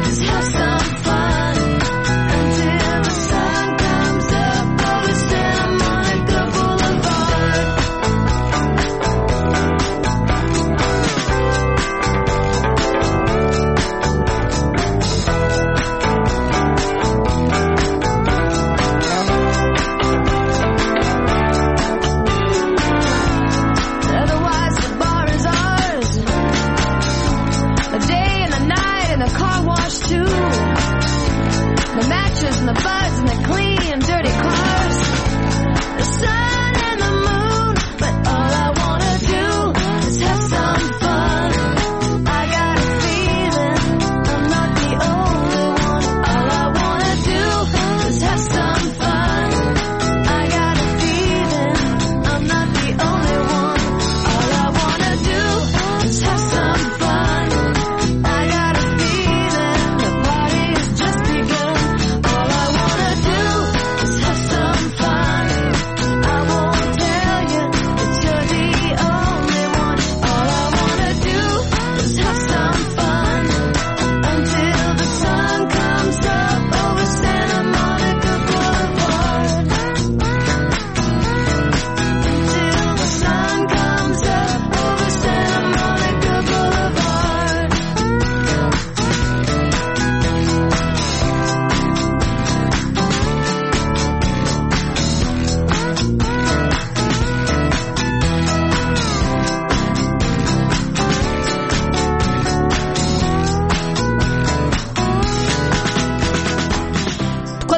is have some fun until the sun comes up over Santa Monica Boulevard. Otherwise the bar is ours. The day and the night and the car wash too. The matches and the buds and the clean and dirty cars. The sun and the moon, but all I wanna do is have some fun. I got a feeling I'm not the only one. All I wanna do is have some fun. I got a feeling I'm not the only one. All I wanna do is have some fun. I got a feeling the party has just begun. All I wanna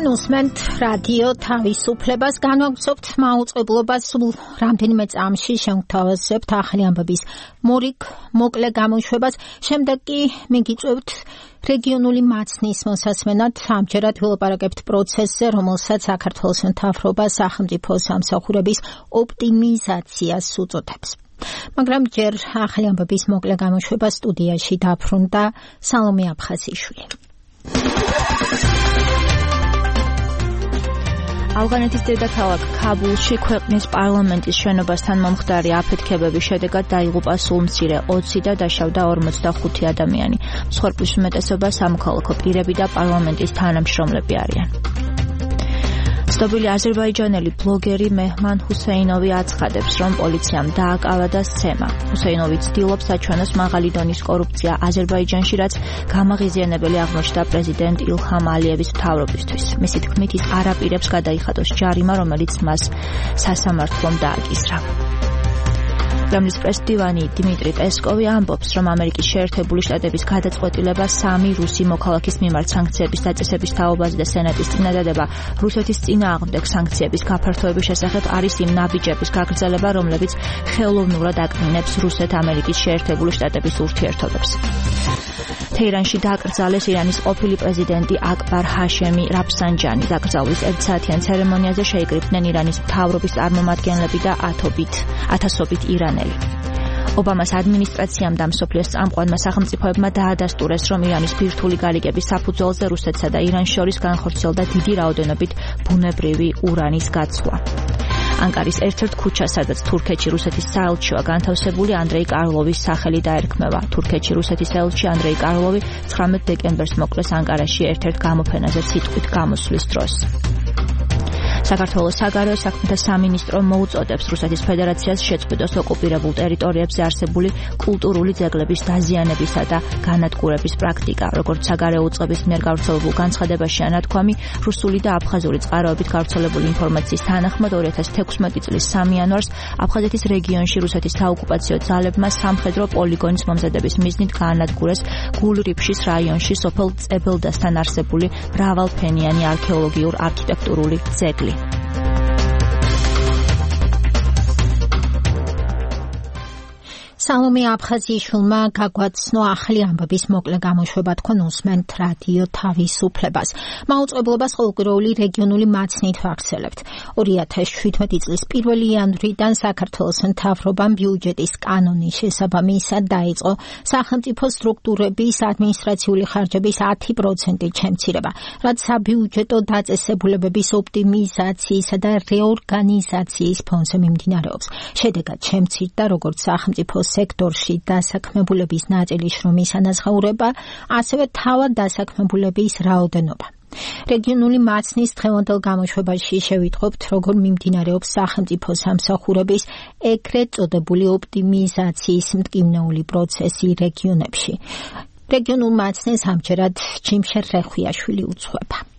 თქვენ უსმენთ რადიო თავისუფლებას, განვაგრძობთ მაუწყებლობას, რამდენიმე წამში შევთავაზებთ ახალი ამბების მოკლე გამოშვებას, შემდეგ კი მიგიწევთ რეგიონული მაცნის მოსასმენად. ამჯერად ვილაპარაკებთ პროცესზე, რომელსაც საქართველოს მთავრობა სახელმწიფო სამსახურების ოპტიმიზაციას უწოდებს. მაგრამ ჯერ ახალი ამბების მოკლე გამოშვება სტუდიაში დაბრუნდა სალომე აფხაზიშვილი. ავღანეთის დედაქალაქ ქაბულში ქვეყნის პარლამენტის შენობასთან მომხდარი აფეთქებების შედეგად დაიღუპა სულ მცირე 20 და დაშავდა 45 ადამიანი. მსხვერპლის უმეტესობა სამოქალაქო პირები და პარლამენტის თანამშრომლები არიან. ცნობილი აზერბაიჯანელი ბლოგერი მეჰმან ჰუსეინოვი აცხადებს, რომ პოლიციამ დააკავა და სცემა. ჰუსეინოვი ცდილობს აჩვენოს მაღალი დონის კორუფცია აზერბაიჯანში, რაც გამაღიზიანებელი აღმოჩნდა პრეზიდენტ ილჰამ ალიევის მთავრობისთვის. მისი თქმით, ის არ აპირებს გადაიხადოს ჯარიმა, რომელიც მას სასამართლომ დააკისრა. კრემლის პრესდივანი დიმიტრი პესკოვი ამბობს, რომ ამერიკის შეერთებული შტატების გადაწყვეტილება 3 რუსი მოქალაქის მიმართ სანქციების დაწესების თაობაზე და სენატის წინადადება რუსეთის წინააღმდეგ სანქციების გაფართოების შესახებ არის იმ ნაბიჯების გაგრძელება, რომლებიც ხელოვნურად აკნინებს რუსეთ-ამერიკის შეერთებული შტატების ურთიერთობებს. თეირანში დაკრძალეს ირანის ყოფილი პრეზიდენტი აკბარ ჰაშემი რაფსანჯანი. დაკრძალვის 1 საათიან ცერემონიაზე შეიკრიბნენ ირანის მთავრობის წარმომადგენლები და ათასობით ირანელი. ობამას ადმინისტრაციამ და მსოფლიოს წამყვანმა სახელმწიფოებმა დაადასტურეს, რომ ირანის ბირთვული გარიგების საფუძველზე რუსეთსა და ირანს შორის განხორციელდა დიდი რაოდენობით ბუნებრივი ურანის გაცვლა. ანკარის ერთ-ერთ ქუჩას, სადაც თურქეთში რუსეთის საელჩოა განთავსებული, ანდრეი კარლოვის სახელი დაერქმევა. თურქეთში რუსეთის ელჩი ანდრეი კარლოვი 19 დეკემბერს მოკლეს ანკარაში ერთ-ერთ გამოფენაზე სიტყვით გამოსვლის დროს. საქართველოს საგარეო საქმეთა სამინისტრო მოუწოდებს რუსეთის ფედერაციას შეწყვიტოს ოკუპირებულ ტერიტორიებზე არსებული კულტურული ძეგლების დაზიანებისა და განადგურების პრაქტიკა. როგორც საგარეო უწყების მიერ გავრცელებულ განცხადებაში ანათქვამი, რუსული და აფხაზური წყაროებით გავრცელებული ინფორმაციის თანახმად 2016 წლის 3 იანვარს აფხაზეთის რეგიონში რუსეთის საოკუპაციო ძალებმა სამხედრო პოლიგონის მომზადების მიზნით გაანადგურეს გულრიფშის რაიონში სოფელ წებელდასთან არსებული მრავალფენიანი არქეოლოგიურ-არქიტექტურული ძეგლი. სალომე აფხაზიშვილმა გაგვაცნო ახალი ამბების მოკლე გამოშვება. თქვენ უსმენთ რადიო თავისუფლებას. მაუწყებლობას ყოველკვირეული რეგიონული მაცნით ვახსენებთ. 2017 წლის 1 იანვრიდან საქართველოს მთავრობამ ბიუჯეტის კანონის შესაბამისად დაიწყო სახელმწიფო სტრუქტურების ადმინისტრაციული ხარჯების 10% შემცირება, რაც საბიუჯეტო დაწესებულებების ოპტიმიზაციისა და რეორგანიზაციის ფონზე მიმდინარეობს. შედეგად შემცირდა როგორც სახელმწიფო სექტორში დასაქმებულების ნაწილის შრომის ანაზღაურება, ასევე თავად დასაქმებულების რაოდენობა. რეგიონული მაცნის დღევანდელ გამოშვებაში შევიტყობთ, როგორ მიმდინარეობს სახელმწიფო სამსახურების ეგრეთ წოდებული ოპტიმიზაციის მტკივნეული პროცესი რეგიონებში. რეგიონულ მაცნეს ამჯერად ჯიმშერ რეხვიაშვილი უძღვება.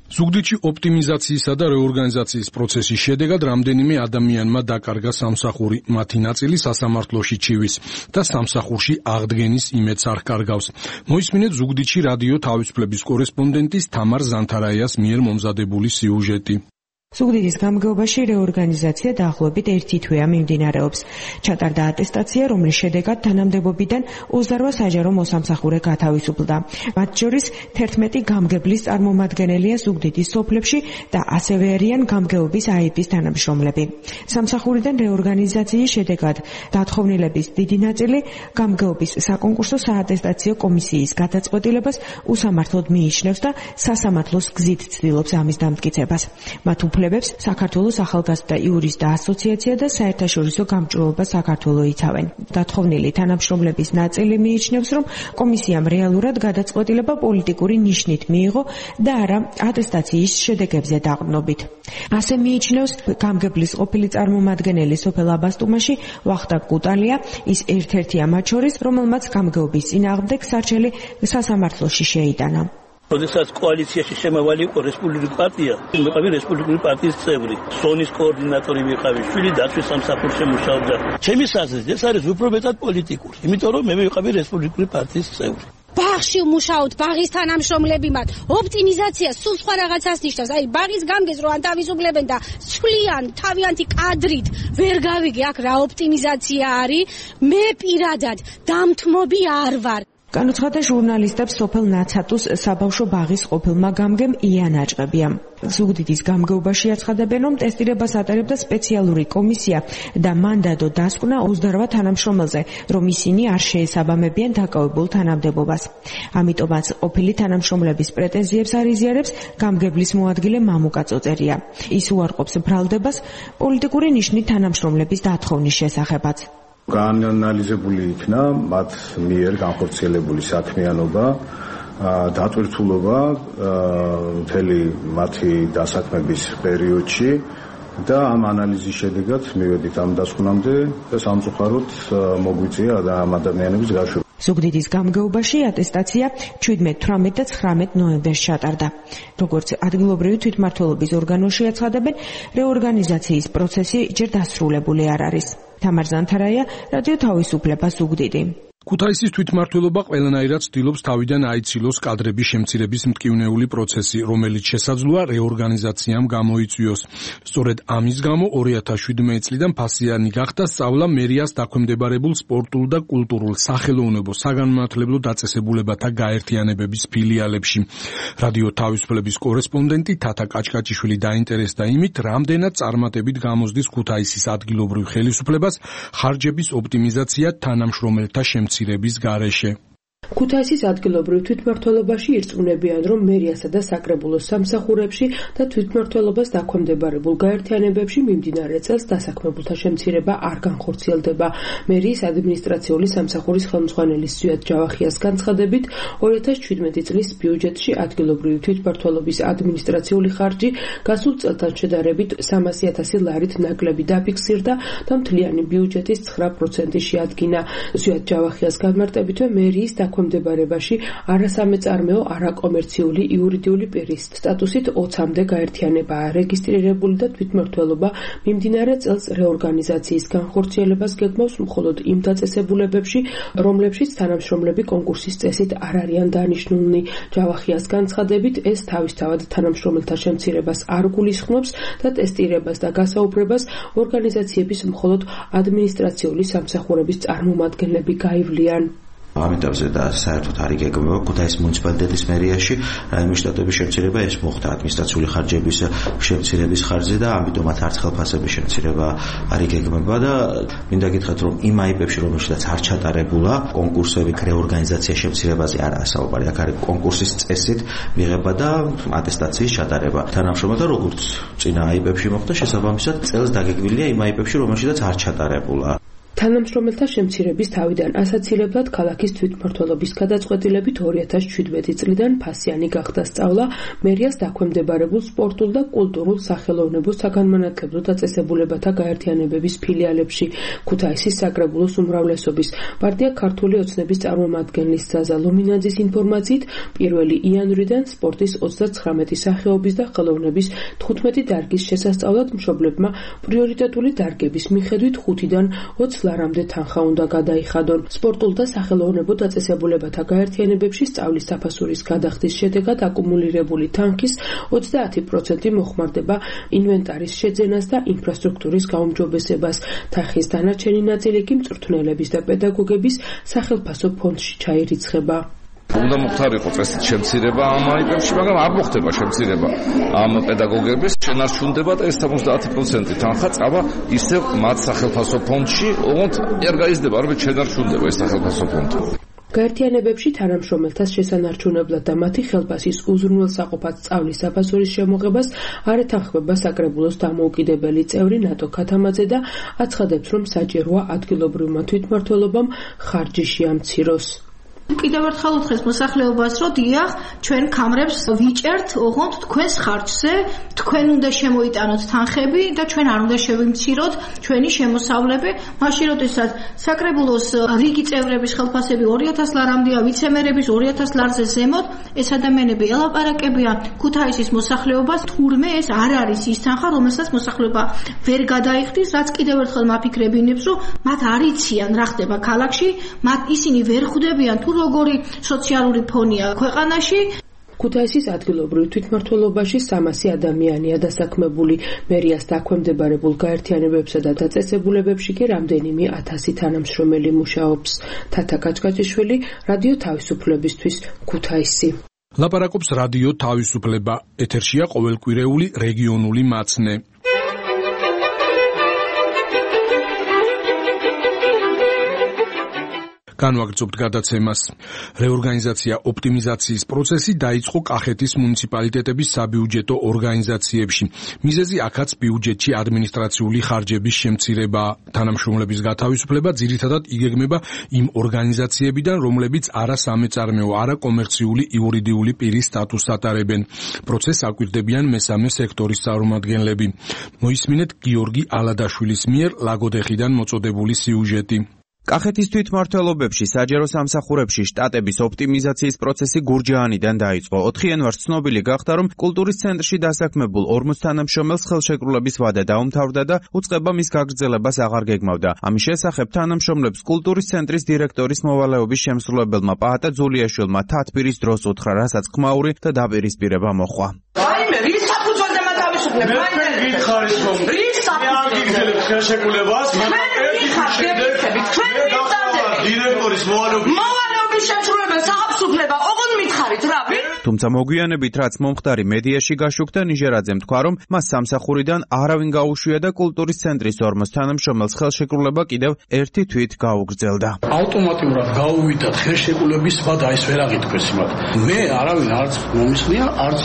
ზუგდიდში ოპტიმიზაციისა და რეორგანიზაციის პროცესის შედეგად რამდენიმე ადამიანმა დაკარგა სამსახური, მათი ნაწილი სასამართლოში ჩივის და სამსახურში აღდგენის იმედს არ კარგავს. მოისმინეთ ზუგდიდში რადიო თავისუფლების კორესპონდენტის თამარ ზანთარაიას მიერ მომზადებული სიუჟეტი. ზუგდიდის გამგეობაში რეორგანიზაცია დაახლოებით 1 თვეა მიმდინარეობს. ჩატარდა ატესტაცია, რომლის შედეგად თანამდებობიდან 28 საჯარო მოსამსახურე გათავისუფლდა. მათ შორის 11 გამგებლის წარმომადგენელია ზუგდიდის სოფლებში და ასევე არიან გამგეობის აიპის თანამშრომლები. სამსახურიდან რეორგანიზაციის შედეგად დათხოვნილების დიდი ნაწილი გამგეობის საკონკურსო საატესტაციო კომისიის გადაწყვეტილებას უსამართლოდ მიიჩნევს და სასამართლოს გზით ცდილობს ამის დამტკიცებას. მათ უფლებებს საქართველოს ახალგაზრდა იურისტთა ასოციაცია და საერთაშორისო გამჭვირვალობა საქართველო იცავენ. დათხოვნილი თანამშრომლების ნაწილი მიიჩნევს, რომ კომისიამ რეალურად გადაწყვეტილება პოლიტიკური ნიშნით მიიღო და არა ატესტაციის შედეგებზე დაყრდნობით. ასე მიიჩნევს გამგებლის ყოფილი წარმომადგენელი სოფელ აბასტუმაში ვახტანგ კუტალია, ის ერთ-ერთია მათ შორის, რომელმაც გამგეობის წინააღმდეგ სარჩელი სასამართლოში შეიტანა. როდესაც კოალიციაში შემავალი იყო რესპუბლიკური პარტია, ვიყავი რესპუბლიკური პარტიის წევრი, სონის კოორდინატორი ვიყავი, შვილი დაცვის სამსახურში მუშაობდა. ჩემი აზრით, ეს არის უფრო მეტად პოლიტიკური, იმიტომ რომ მე ვიყავი რესპუბლიკური პარტიის წევრი. ბაღში ვმუშაობთ, ბაღის თანამშრომლები მათ. ოპტიმიზაცია სულ სხვა რაღაცას ნიშნავს. აი, ბაღის გამგეს რო ანთავისუფლებენ და სვლიან თავიანთი კადრით, ვერ გავიგე აქ რა ოპტიმიზაცია არის. მე პირადად დამთმობი არ ვარ. განუცხადა ჟურნალისტებს სოფელ ნაცატუს საბავშვო ბაღის ყოფილმა გამგემ იან აჭყებია. ზუგდიდის გამგეობაში აცხადებენ, რომ ტესტირებას ატარებდა სპეციალური კომისია და მან დადო დასკვნა 28 თანამშრომელზე, რომ ისინი არ შეესაბამებიან დაკავებულ თანამდებობას. ამიტომაც ყოფილი თანამშრომლების პრეტენზიებს არ იზიარებს გამგებლის მოადგილე მამუკა წოწერია. ის უარყოფს ბრალდებას პოლიტიკური ნიშნით თანამშრომლების დათხოვნის შესახებაც. გაანალიზებული იქნა მათ მიერ განხორციელებული საქმიანობა, დატვირთულობა მთელი მათი დასაქმების პერიოდში და ამ ანალიზის შედეგად მივედით ამ დასკვნამდე და სამწუხაროდ მოგვიწია ამ ადამიანების გაშვება. ზუგდიდის გამგეობაში ატესტაცია 17, 18 და 19 ნოემბერს ჩატარდა. როგორც ადგილობრივი თვითმმართველობის ორგანოში აცხადებენ, რეორგანიზაციის პროცესი ჯერ დასრულებული არ არის. თამარ ზანთარაია, რადიო თავისუფლება, ზუგდიდი. ქუთაისის თვითმმართველობა ყველანაირად ცდილობს თავიდან აიცილოს კადრების შემცირების მტკივნეული პროცესი, რომელიც შესაძლოა რეორგანიზაციამ გამოიწვიოს. სწორედ ამის გამო 2017 წლიდან ფასიანი გახდა სწავლა მერიას დაქვემდებარებულ სპორტულ და კულტურულ, სახელოვნებო, საგანმანათლებლო დაწესებულებათა გაერთიანებების ფილიალებში. რადიო თავისუფლების კორესპონდენტი თათა კაჭკაჭიშვილი დაინტერესდა იმით, რამდენად წარმატებით გამოსდის ქუთაისის ადგილობრივ ხელისუფლებას ხარჯების ოპტიმიზაცია თანამშრომელთა შემცირების გარეშე. ქუთაისის ადგილობრივ თვითმმართველობაში ირწმუნებიან, რომ მერიასა და საკრებულოს სამსახურებში და თვითმმართველობას დაქვემდებარებულ გაერთიანებებში მიმდინარე წელს დასაქმებულთა შემცირება არ განხორციელდება. მერიის ადმინისტრაციული სამსახურის ხელმძღვანელის ზვიად ჯავახიას განცხადებით, 2017 წლის ბიუჯეტში ადგილობრივი თვითმმართველობის ადმინისტრაციული ხარჯი გასულ წელთან შედარებით 300,000 ლარით ნაკლები დაფიქსირდა და მთლიანი ბიუჯეტის 9% შეადგინა. ზვიად ჯავახიას განმარტებითვე მერიის დაქვემდებარებაში არასამეწარმეო, არაკომერციული იურიდიული პირის სტატუსით 20-მდე გაერთიანებაა რეგისტრირებული და თვითმმართველობა მიმდინარე წელს რეორგანიზაციის განხორციელებას გეგმავს მხოლოდ იმ დაწესებულებებში, რომლებშიც თანამშრომლები კონკურსის წესით არ არიან დანიშნულნი. ჯავახიას განცხადებით, ეს თავისთავად თანამშრომელთა შემცირებას არ გულისხმობს და ტესტირებას და გასაუბრებას ორგანიზაციების მხოლოდ ადმინისტრაციული სამსახურების წარმომადგენლები გაივლიან. ამიტომზე და საერთოდ არ იგეგმება ქუთაისის მუნიციპალიტეტის მერიაში რაიმე შტატების შემცირება, ეს მოხდა ადმინისტრაციული ხარჯების შემცირების ხარჯზე და ამიტომაც არც ხელფასების შემცირება არ იგეგმება და მინდა გითხრათ, რომ იმ აიპებში, რომელშიც არ ჩატარებულა კონკურსები, რეორგანიზაცია შემცირებაზე არაა საუბარი. აქ არის კონკურსის წესით მიღება და ატესტაციის ჩატარება. თანამშრომელთა როგორც წინა აიპებში მოხდა, შესაბამისად წელს დაგეგმილია იმ აიპებში, რომელშიც არ ჩატარებულა. თანამშრომელთა შემცირების თავიდან ასაცილებლად ქალაქის თვითმმართველობის გადაწყვეტილებით 2017 წლიდან ფასიანი გახდა სწავლა მერიას დაქვემდებარებულ სპორტულ და კულტურულ, სახელოვნებო, საგანმანათლებლო დაწესებულებათა გაერთიანებების ფილიალებში. ქუთაისის საკრებულოს უმრავლესობის პარტია ქართული ოცნების წარმომადგენლის ზაზა ლუმინაძის ინფორმაციით 1 იანვრიდან სპორტის 39 სახეობის და ხელოვნების 15 დარგის შესასწავლად მშობლებმა პრიორიტეტული დარგების მიხედვით 5-დან 20 ლარამდე თანხა უნდა გადაიხადონ. სპორტულ და სახელოვნებო დაწესებულებათა გაერთიანებებში სწავლის საფასურის გადახდის შედეგად აკუმულირებული თანხის 30% მოხმარდება ინვენტარის შეძენას და ინფრასტრუქტურის გაუმჯობესებას. თანხის დანარჩენი ნაწილი კი მწვრთნელების და პედაგოგების სახელფასო ფონდში ჩაირიცხება. უნდა მოხდარიყო წესით შემცირება ამ აიპებში, მაგრამ არ მოხდება შემცირება ამ პედაგოგების, შენარჩუნდება და ეს 70% თანხა წავა ისევ მათ სახელფასო ფონდში, ოღონდ არ გაიზრდება, არამედ შენარჩუნდება ეს სახელფასო ფონდი. გაერთიანებებში თანამშრომელთა შესანარჩუნებლად და მათი ხელფასის უზრუნველსაყოფად სწავლის საფასურის შემოღებას არ ეთანხმება საკრებულოს დამოუკიდებელი წევრი ნატო ქათამაძე და აცხადებს, რომ საჭიროა ადგილობრივმა თვითმმართველობამ ხარჯი შეამციროს. კიდევ ერთხელ უთხრეს მოსახლეობას, რომ დიახ, ჩვენ კამრებს ვიჭერთ, ოღონდ თქვენს ხარჯზე, თქვენ უნდა შემოიტანოთ თანხები და ჩვენ არ უნდა შევიმციროთ ჩვენი შემოსავლები, მაშინ როდესაც საკრებულოს რიგი წევრების ხელფასები 2000 ლარამდეა, ვიცემერების 2000 ლარზე ზემოთ, ეს ადამიანები ელაპარაკებიან ქუთაისის მოსახლეობას, თურმე ეს არ არის ის თანხა, რომელსაც მოსახლეობა ვერ გადაიხდის, რაც კიდევ ერთხელ მაფიქრებინებს, რომ მათ არ იციან რა ხდება ქალაქში, მათ ისინი ვერ ხვდებიან თუ როგორი სოციალური ფონია ქვეყანაში. ქუთაისის ადგილობრივ თვითმმართველობაში 300 ადამიანია დასაქმებული. მერიას დაქვემდებარებულ გაერთიანებებსა და დაწესებულებებში კი რამდენიმე 1000 თანამშრომელი მუშაობს. თათა კაჭკაჭიშვილი, რადიო თავისუფლებისთვის, ქუთაისი. ლაპარაკობს რადიო თავისუფლება. ეთერშია ყოველკვირეული რეგიონული მაცნე. განვაგრძობთ გადაცემას. რეორგანიზაცია ოპტიმიზაციის პროცესი დაიწყო კახეთის მუნიციპალიტეტების საბიუჯეტო ორგანიზაციებში. მიზეზი აქაც ბიუჯეტში ადმინისტრაციული ხარჯების შემცირებაა. თანამშრომლების გათავისუფლება ძირითადად იგეგმება იმ ორგანიზაციებიდან, რომლებიც არა სამეწარმეო, არა კომერციული იურიდიული პირის სტატუსს ატარებენ. პროცესს აკვირდებიან მესამე სექტორის წარმომადგენლები. მოისმინეთ გიორგი ალადაშვილის მიერ ლაგოდეხიდან მოწოდებული სიუჟეტი. კახეთის თვითმმართველობებში საჯარო სამსახურებში შტატების ოპტიმიზაციის პროცესი გურჯაანიდან დაიწყო. 4 იანვარს ცნობილი გახდა, რომ კულტურის ცენტრში დასაქმებულ 40 თანამშრომელს ხელშეკრულების ვადა დაუმთავრდა და უწყება მის გაგრძელებას აღარ გეგმავდა. ამის შესახებ თანამშრომლებს კულტურის ცენტრის დირექტორის მოვალეობის შემსრულებელმა პაატა ძულიაშვილმა თათბირის დროს უთხრა, რასაც ხმაური და დაპირისპირება მოჰყვა. რაიმე რის საფუძველზე მათავისუფლებ? რის საფუძველზე ხელშეკრულებას? დირექტორის მოვალეობის შემსრულებელ სააფსუფლება ოღონდ მითხარით რა? თუმცა მოგვიანებით რაც მომხდარი მედიაში გაშუქდა, ნიჟერაძემ თქვა, რომ მას სამსახურიდან არავინ გაუშვია და კულტურის ცენტრის 40 თანამშრომელს ხელშეკრულება კიდევ ერთი თვით გაუგრძელდა. ავტომატურად გაუვიდათ ხელშეკრულების ვადა, ეს ვერ აღიქვეს მათ. მე არავინ არც მომისხნია, არც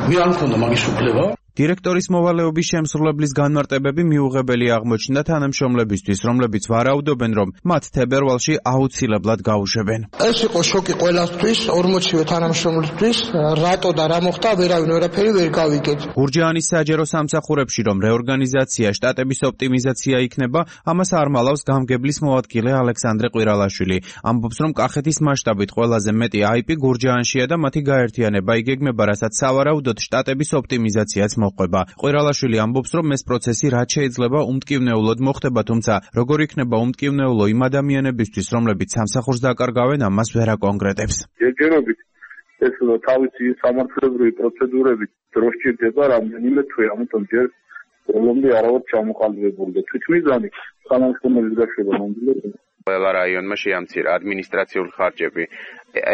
მე არ მქონდა მაგის უფლება. დირექტორის მოვალეობის შემსრულებლის განმარტებები მიუღებელი აღმოჩნდა თანამშრომლებისთვის, რომლებიც ვარაუდობენ, რომ მათ თებერვალში აუცილებლად გაუშვებენ. ეს იყო შოკი ყველასთვის, 40-ვე თანამშრომლისთვის, რატო და რა მოხდა, ვერავინ ვერაფერი ვერ გავიგეთ. გურჯაანის საჯარო სამსახურებში რომ რეორგანიზაცია, შტატების ოპტიმიზაცია იქნება, ამას არ მალავს გამგებლის მოადგილე ალექსანდრე ყვირალაშვილი. ამბობს, რომ კახეთის მასშტაბით ყველაზე მეტი IP გურჯაანშია და მათი გაერთიანება იგეგმება, რასაც სავარაუდოდ შტატების ოპტიმიზაციაც მოყვება. ყვირალაშვილი ამბობს, რომ ეს პროცესი რაც შეიძლება უმტკივნეულოდ მოხდება, თუმცა როგორ იქნება უმტკივნეულო იმ ადამიანებისთვის, რომლებიც სამსახურს დაკარგავენ, ამას ვერ აკონკრეტებს. ჯერჯერობით ეს თავისი სამართლებრივი პროცედურებით დროს ჭირდება რამდენიმე თვე, ამიტომ ჯერ პრობლემები არ არის ჩამოყალიბებული და თვითმიზანი თანამშრომლების გაშვება მომდევნო ყველა რაიონმა შეამცირა ადმინისტრაციული ხარჯები.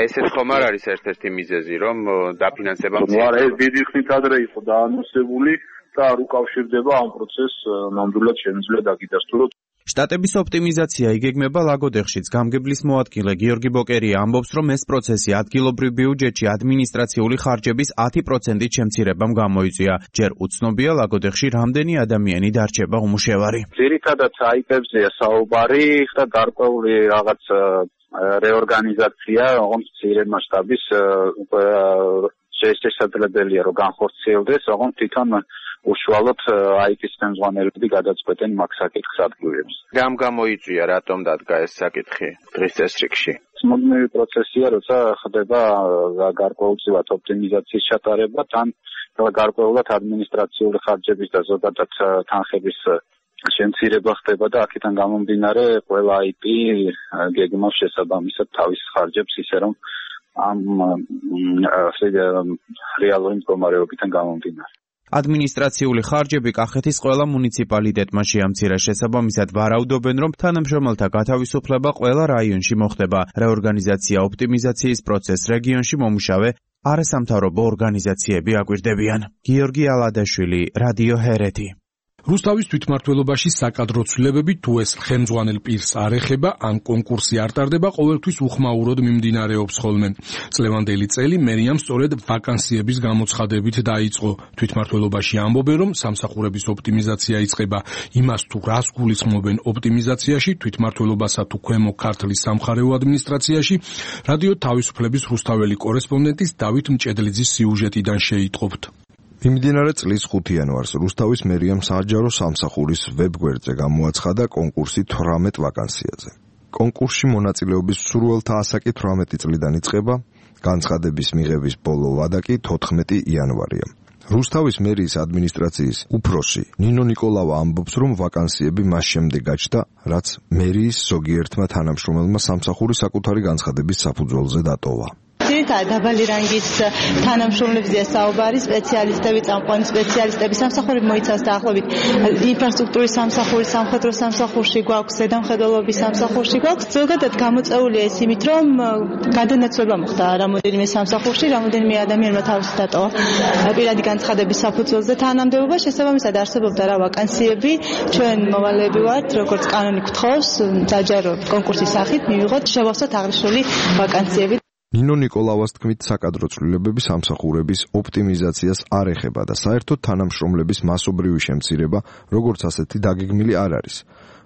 ესეც ხომ არ არის ერთ-ერთი მიზეზი, რომ დაფინანსება მცირდება? ეს დიდი ხნით ადრე იყო დაანონსებული და არ უკავშირდება ამ პროცესს, ნამდვილად შემიძლია დაგიდასტუროთ. შტატების ოპტიმიზაცია იგეგმება ლაგოდეხშიც. გამგებლის მოადგილე გიორგი ბოკერია ამბობს, რომ ეს პროცესი ადგილობრივ ბიუჯეტში ადმინისტრაციული ხარჯების 10%-ით შემცირებამ გამოიწვია. ჯერ უცნობია ლაგოდეხში რამდენი ადამიანი დარჩება უმუშევარი. ძირითადად აიპებზეა საუბარი და გარკვეული რაღაც რეორგანიზაცია, ოღონდ მცირე მასშტაბის შესაძლებელია რომ განხორციელდეს, ოღონდ თვითონ უშუალოდ IT-ის ხელმძღვანელები გადაწყვეტენ მაგ საკითხს ადგილებს. რამ გამოიწვია, რატომ დადგა ეს საკითხი დღის წესრიგში? მუდმივი პროცესია, როცა ხდება გარკვეულწილად ოპტიმიზაციის ჩატარება, თან გარკვეულად ადმინისტრაციული ხარჯების და ზოგადად თანხების შემცირება ხდება და აქედან გამომდინარე ყველა IP გეგმავს შესაბამისად თავის ხარჯებს, ისე რომ ამ რეალური მდგომარეობიდან გამომდინარე. ადმინისტრაციული ხარჯები კახეთის ყველა მუნიციპალიტეტმა შეამცირა. შესაბამისად ვარაუდობენ, რომ თანამშრომელთა გათავისუფლება ყველა რაიონში მოხდება. რეორგანიზაცია ოპტიმიზაციის პროცესს რეგიონში მომუშავე არასამთავრობო ორგანიზაციები აკვირდებიან. გიორგი ალადაშვილი, რადიო ჰერეთი. რუსთავის თვითმმართველობაში საკადრო ცვლილებები თუ ეს ხელმძღვანელ პირს არ ეხება, ან კონკურსი არ ტარდება, ყოველთვის უხმაუროდ მიმდინარეობს ხოლმე. წლევანდელი წელი მერიამ სწორედ ვაკანსიების გამოცხადებით დაიწყო. თვითმმართველობაში ამბობენ, რომ სამსახურების ოპტიმიზაცია იწყება. იმას თუ რას გულისხმობენ ოპტიმიზაციაში, თვითმმართველობასა თუ ქვემო ქართლის სამხარეო ადმინისტრაციაში, რადიო თავისუფლების რუსთაველი კორესპონდენტის დავით მჭედლიძის სიუჟეტიდან შეიტყობთ. მიმდინარე წლის 5 იანვარს რუსთავის მერიამ საჯარო სამსახურის ვებგვერდზე გამოაცხადა კონკურსი 18 ვაკანსიაზე. კონკურსში მონაწილეობის მსურველთა ასაკი 18 წლიდან იწყება, განცხადების მიღების ბოლო ვადა კი 14 იანვარია. რუსთავის მერიის ადმინისტრაციის უფროსი ნინო ნიკოლავა ამბობს, რომ ვაკანსიები მას შემდეგ გაჩნდა, რაც მერიის ზოგიერთმა თანამშრომელმა სამსახური საკუთარი განცხადების საფუძველზე დატოვა. ძირითადად დაბალი რანგის თანამშრომლებზეა საუბარი, სპეციალისტები, წამყვანი სპეციალისტები, სამსახური მოიცავს დაახლოებით ინფრასტრუქტურის სამსახური, სამხედრო სამსახურში გვაქვს, ზედამხედველობის სამსახურში გვაქვს. ზოგადად გამოწეულია ეს იმით, რომ გადანაცვლება მოხდა რამოდენიმე სამსახურში, რამოდენიმე ადამიანმა თავისი დატოვა პირადი განცხადების საფუძველზე თანამდებობა, შესაბამისად არსებობდა რა ვაკანსიები, ჩვენ მოვალეები ვართ, როგორც კანონი გთხოვს, საჯარო კონკურსის სახით მივიღოთ შევავსოთ აღნიშნული ვაკანსიები. ნინო ნიკოლავას თქმით, საკადრო ცვლილებები სამსახურების ოპტიმიზაციას არ ეხება და საერთოდ თანამშრომლების მასობრივი შემცირება, როგორც ასეთი დაგეგმილი არ არის.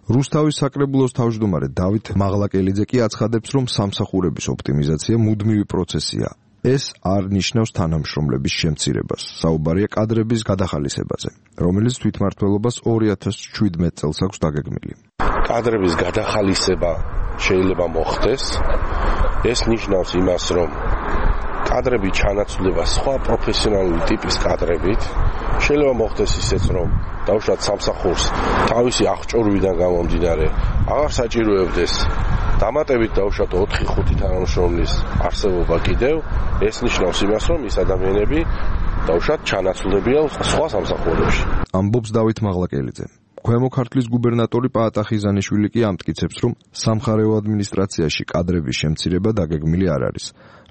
რუსთავის საკრებულოს თავმჯდომარე დავით მაღლაკელიძე კი აცხადებს, რომ სამსახურების ოპტიმიზაცია მუდმივი პროცესია. ეს არ ნიშნავს თანამშრომლების შემცირებას. საუბარია კადრების გადახალისებაზე, რომელიც თვითმმართველობას 2017 წელს აქვს დაგეგმილი. კადრების გადახალისება შეიძლება მოხდეს. ეს ნიშნავს იმას, რომ კადრები ჩანაცვლება სხვა პროფესიონალური ტიპის კადრებით. შეიძლება მოხდეს ისეც, რომ დავუშვათ სამსახურს თავისი აღჭურვიდან გამომდინარე აღარ საჭიროებდეს დამატებით დავუშვათ 4-5 თანამშრომლის არსებობა კიდევ. ეს ნიშნავს იმას, რომ ეს ადამიანები დავუშვათ ჩანაცვლებიან სხვა სამსახურებში. ამბობს დავით მაღლაკელიძე. ქვემო ქართლის გუბერნატორი პაატა ხიზანიშვილი კი ამტკიცებს, რომ სამხარეო ადმინისტრაციაში კადრების შემცირება დაგეგმილი არ არის,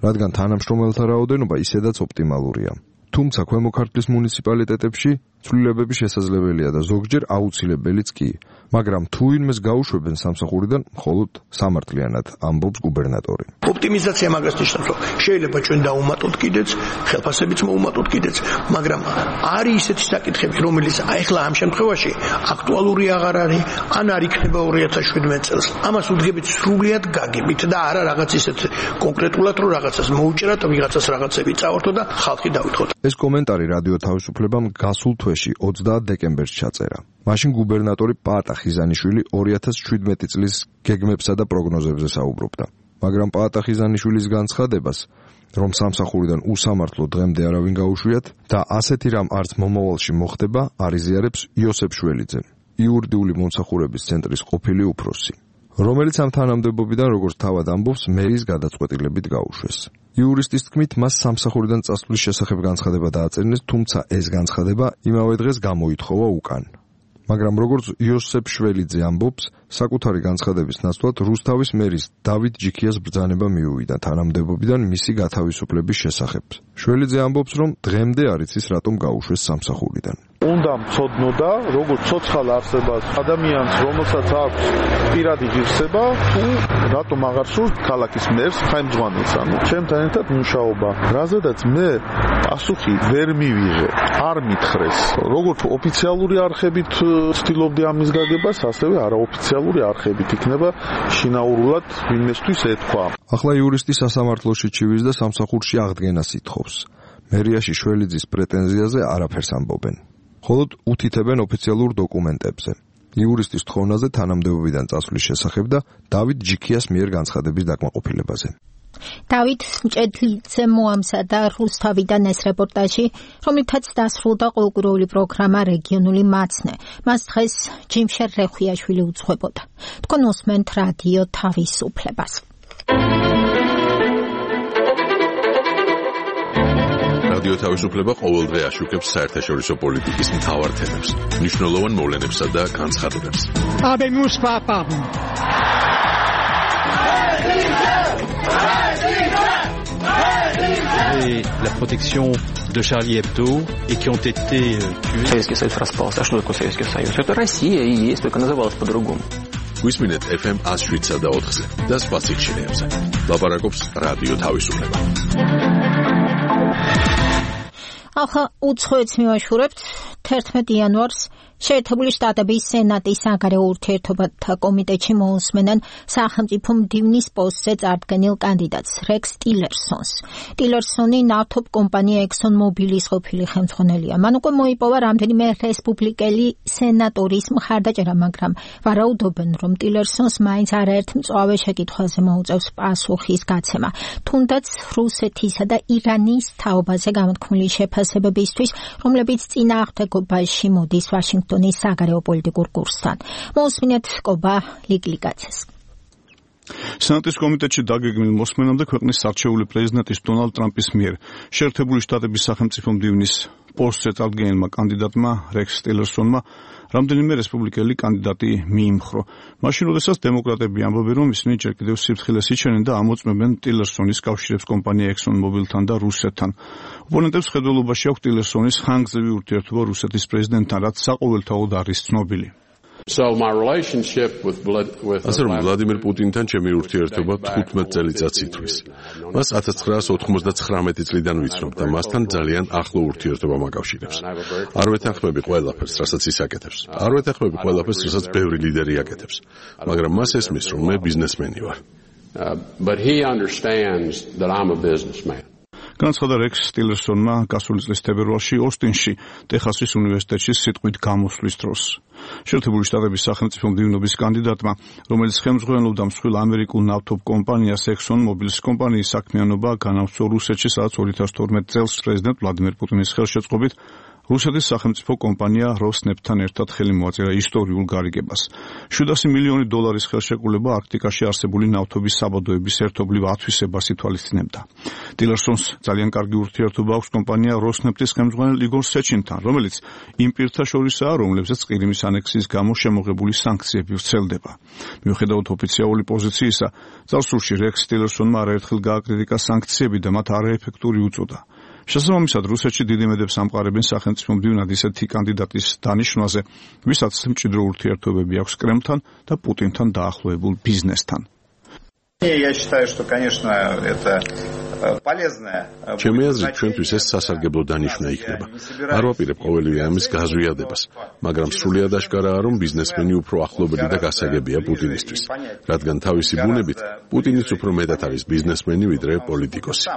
რადგან თანამშრომელთა რაოდენობა ისედაც ოპტიმალურია. თუმცა ქვემო ქართლის მუნიციპალიტეტებში ცვლილებები შესაძლებელია და ზოგჯერ აუცილებელიც კი, მაგრამ თუ ვინმეს გაუშვებენ სამსახურიდან, მხოლოდ სამართლიანად, ამბობს გუბერნატორი. ოპტიმიზაცია მაგას ნიშნავს, რომ შეიძლება ჩვენ დაუმატოთ კიდეც, ხელფასებიც მოუმატოთ კიდეც, მაგრამ არის ისეთი საკითხები, რომელიც ახლა ამ შემთხვევაში აქტუალური აღარ არის, ან არ იქნება 2017 წელს. ამას უდგებით სრულიად გაგებით და არა რაღაც ისეთ კონკრეტულად, რომ რაღაცას მოუჭრათ, ვიღაცას რაღაცები წავართო და ხალხი დავითხოვოთ. ეს კომენტარი რადიო თავისუფლებამ გასულ თვეში 20 დეკემბერს ჩაწერა. მაშინ გუბერნატორი პაატა ხიზანიშვილი 2017 წლის გეგმებსა და პროგნოზებზე საუბრობდა. მაგრამ პაატა ხიზანიშვილის განცხადებას, რომ სამსახურიდან უსამართლო დღემდე არავინ გაუშვიათ და ასეთი რამ არც მომავალში მოხდება, არიზიარებს იოსებ შველიძე, იურიდიული მომსახურების ცენტრის ყოფილი უფროსი, რომელიც ამ თანამდებობიდან, როგორც თავად ამბობს, მერის გადაწყვეტილებით გაუშვეს. იურისტის თქმით, მას სამსახურიდან წასვლის შესახებ განცხადება დააწერინეს, თუმცა ეს განცხადება იმავე დღეს გამოითხოვა უკან. მაგრამ როგორც იოსებ შველიძე ამბობს, საკუთარი განცხადების ნაცვლად რუსთავის მერის დავით ჯიქიას ბრძანება მიუვიდა თანამდებობიდან მისი გათავისუფლების შესახებ. შველიძე ამბობს, რომ დღემდე არ იცის რატომ გაუშვეს სამსახურიდან. უნდა მცოდნოდა, როგორც ცოცხალ არსებას ადამიანს, რომელსაც აქვს პირადი ღირსება, თუ რატომ აღარ სურს ქალაქის მერს, ხელმძღვანელს, ანუ ჩემთან ერთად მუშაობა. რაზედაც მე პასუხი ვერ მივიღე, არ მითხრეს. როგორც ოფიციალური არხებით ცდილობდი ამის გაგებას, ასევე არაოფიციალური არხებით იქნება შინაურულად ვინმესთვის ეთქვა. ახლა იურისტი სასამართლოში ჩივის და სამსახურში აღდგენას ითხოვს. მერიაში შველიძის პრეტენზიაზე არაფერს ამბობენ. მხოლოდ უთითებენ ოფიციალურ დოკუმენტებზე. იურისტის თხოვნაზე თანამდებობიდან წასვლის შესახებ და დავით ჯიქიას მიერ განცხადების დაკმაყოფილებაზე. დავით მჭედლიძე მოამზადა რუსთავიდან ეს რეპორტაჟი, რომლითაც დასრულდა ყოველკვირეული პროგრამა რეგიონული მაცნე. მას დღეს ჯიმშერ რეხვიაშვილი უძღვებოდა. თქვენ უსმენთ რადიო თავისუფლებას. რადიო თავისუფლება ყოველდღე აშუქებს საერთაშორისო პოლიტიკის მთავარ თემებს, მნიშვნელოვან მოვლენებსა და განცხადებებს. Et la protection de Charlie Hebdo et qui ont été tués. Советский Союз распался. А что такое Советский Союз? Это Россия и есть, только называлась по-другому. Висминет FM 107.4-ზე და სხვა სიხშირეებზე. ლაპარაკობს რადიო თავისუფლება. ახლა უცხოეთს მივაშურებთ 11 იანვარს შეერთებული შტატების სენატის საგარეო ურთიერთობათა კომიტეტში მოусმენენ სახელმწიფო მდივნის პოსტზე წარდგენილ კანდიდატს რექს ტილერსონს. ტილერსონი ნავთობ კომპანია ExxonMobil-ის ყოფილი ხელმძღვანელია. მან უკვე მოიპოვა რამდენიმე რესპუბლიკელი სენატორის მხარდაჭერა, მაგრამ ვარაუდობენ, რომ ტილერსონს მაინც არაერთ მწვავე შეკითხვაზე მოუწევს პასუხის გაცემა. თუნდაც რუსეთისა და ირანის თაობაზე გამოთქმული შეფასებებისთვის, რომლებიც წინააღმდეგობაში მოდის ვაშინგტონის საგარეო პოლიტიკურ კურსთან. მოусმინეთ კობა ლიგლიგაცეს. სენატის კომიტეტში დაგეგმილ მოსმენამდე ქვეყნის არჩეული პრეზიდენტის დონალდ ტრამპის მიერ შეერთებული შტატების სახელმწიფო მდივნის პოსტზე წარდგენილმა კანდიდატმა რექს ტილერსონმა რამდენიმე რესპუბლიკელი კანდიდატი მიიმხრო. მაშინ, როდესაც დემოკრატები ამბობენ, რომ ისინი ჯერ კიდევ სიფრთხილეს იჩენენ და ამოწმებენ ტილერსონის კავშირებს კომპანია ExxonMobil-თან და რუსეთთან. ოპონენტებს ხედველობაში აქვს ტილერსონის ხანგრძლივი ურთიერთობა რუსეთის პრეზიდენტთან, რაც საყოველთაოდ არის ცნობილი. ასე რომ ვლადიმერ პუტინთან ჩემი ურთიერთობა 15 წელიწადს ითვლის. მას 1999 წლიდან ვიცნობ და მასთან ძალიან ახლო ურთიერთობა მაკავშირებს. არ ვეთანხმები ყველაფერს, რასაც ის აკეთებს. არ ვეთანხმები ყველაფერს, რასაც ბევრი ლიდერი აკეთებს. მაგრამ მას ესმის, რომ მე ბიზნესმენი ვარ. განაცხადა რექს ტილერსონმა გასული წლის თებერვალში ოსტინში, ტეხასის უნივერსიტეტში სიტყვით გამოსვლის დროს. შეერთებული შტატების სახელმწიფო მდივნობის კანდიდატმა, რომელიც ხელმძღვანელობდა მსხვილ ამერიკულ ნავთობ კომპანიას ExxonMobil-ის კომპანიის საქმიანობა განავრცო რუსეთში, სადაც 2012 წელს პრეზიდენტ ვლადიმერ პუტინის ხელშეწყობით რუსეთის სახელმწიფო კომპანია როსნეფტთან ერთად ხელი მოაწერა ისტორიულ გარიგებას. $700 მილიონი ხელშეკრულება არქტიკაში არსებული ნავთობის საბადოების ერთობლივ ათვისებას ითვალისწინებდა. ტილერსონს ძალიან კარგი ურთიერთობა აქვს კომპანია როსნეფტის ხელმძღვანელ იგორ სეჩინთან, რომელიც იმ პირთა შორისაა, რომლებზეც ყირიმის ანექსიის გამო შემოღებული სანქციები ვრცელდება. მიუხედავად ოფიციალური პოზიციისა, წარსულში რექს ტილერსონმა არაერთხელ გააკრიტიკა სანქციები და მათ არაეფექტური უწოდა. შესაბამისად, რუსეთში დიდი იმედებს ამყარებენ სახელმწიფო მდივნად ისეთი კანდიდატის დანიშვნაზე, ვისაც მჭიდრო ურთიერთობები აქვს კრემლთან და პუტინთან დაახლოებულ ბიზნესთან. ჩემი აზრით, ჩვენთვის ეს სასარგებლო დანიშვნა იქნება. არ ვაპირებ ყოველივე ამის გაზვიადებას, მაგრამ სრულიად აშკარაა, რომ ბიზნესმენი უფრო ახლობელი და გასაგებია პუტინისთვის, რადგან თავისი ბუნებით პუტინიც უფრო მეტად არის ბიზნესმენი ვიდრე პოლიტიკოსი.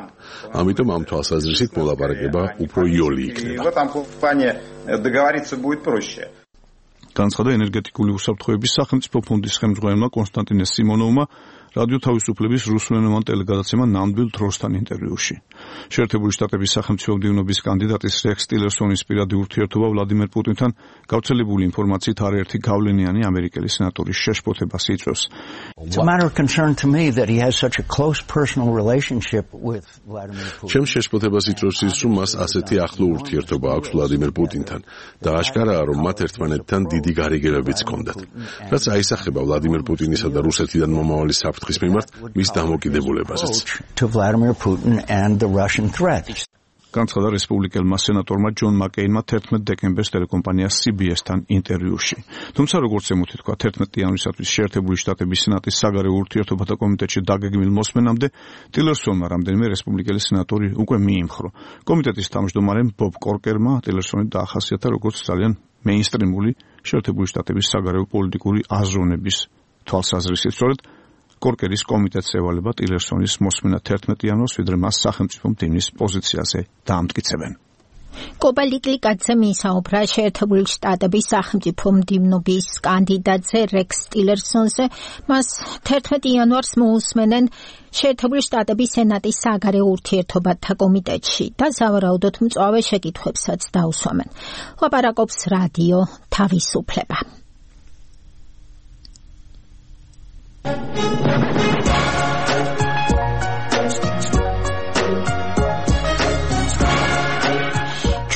ამიტომ ამ თვალსაზრისით მოლაპარაკება უფრო იოლი იქნება. განაცხადა ენერგეტიკული უსაფრთხოების სახელმწიფო ფონდის ხელმძღვანელმა კონსტანტინე სიმონოვმა რადიო თავისუფლების რუსულენოვან ტელეგადაცემა ნამდვილ დროსთან ინტერვიუში. შეერთებული შტატების სახელმწიფო მდივნობის კანდიდატის რექს ტილერსონის პირადი ურთიერთობა ვლადიმერ პუტინთან გავრცელებული ინფორმაციით არაერთი გავლენიანი ამერიკელი სენატორის შეშფოთებას იწვევს. ჩემს შეშფოთებას იწვევს ის, რომ მას ასეთი ახლო ურთიერთობა აქვს ვლადიმერ პუტინთან და აშკარაა, რომ მათ ერთმანეთთან დიდი გარიგებებიც ჰქონდათ. რაც აისახება ვლადიმერ პუტინისა და რუსეთიდან მომავალი საფრთხის მიმართ მის დამოკიდებულებაზეც. განაცხადა რესპუბლიკელმა სენატორმა ჯონ მაკეინმა 11 დეკემბერს ტელეკომპანია CBS-თან ინტერვიუში. თუმცა როგორც ემუთი თქვა 11 იანვრისათვის შეერთებული შტატების სენატის საგარეო ურთიერთობათა კომიტეტში დაგეგმილ მოსმენამდე ტილერსონმა რამდენიმე რესპუბლიკელი სენატორი უკვე მიიმხრო. კომიტეტის თავმჯდომარემ ბობ კორკერმა ტილერსონი დაახასიათა როგორც ძალიან მეინსტრიმული შეერთებული შტატების საგარეო პოლიტიკური აზროვნების თვალსაზრისით. სწორედ კორკერის კომიტეტს ევალება ტილერსონის მოსმენა 11 იანვარს, ვიდრე მას სახელმწიფო მდივნის პოზიციაზე დაამტკიცებენ. კობა ლიგლიგაძე მისაუბრა შეერთებული შტატების სახელმწიფო მდივნობის კანდიდატზე რექს ტილერსონზე. მას 11 იანვარს მოусმენენ შეერთებული შტატების სენატის საგარეო ურთიერთობათა კომიტეტში და სავარაუდოდ მწვავე შეკითხვებსაც დაუსვამენ. ლაპარაკობს რადიო თავისუფლება.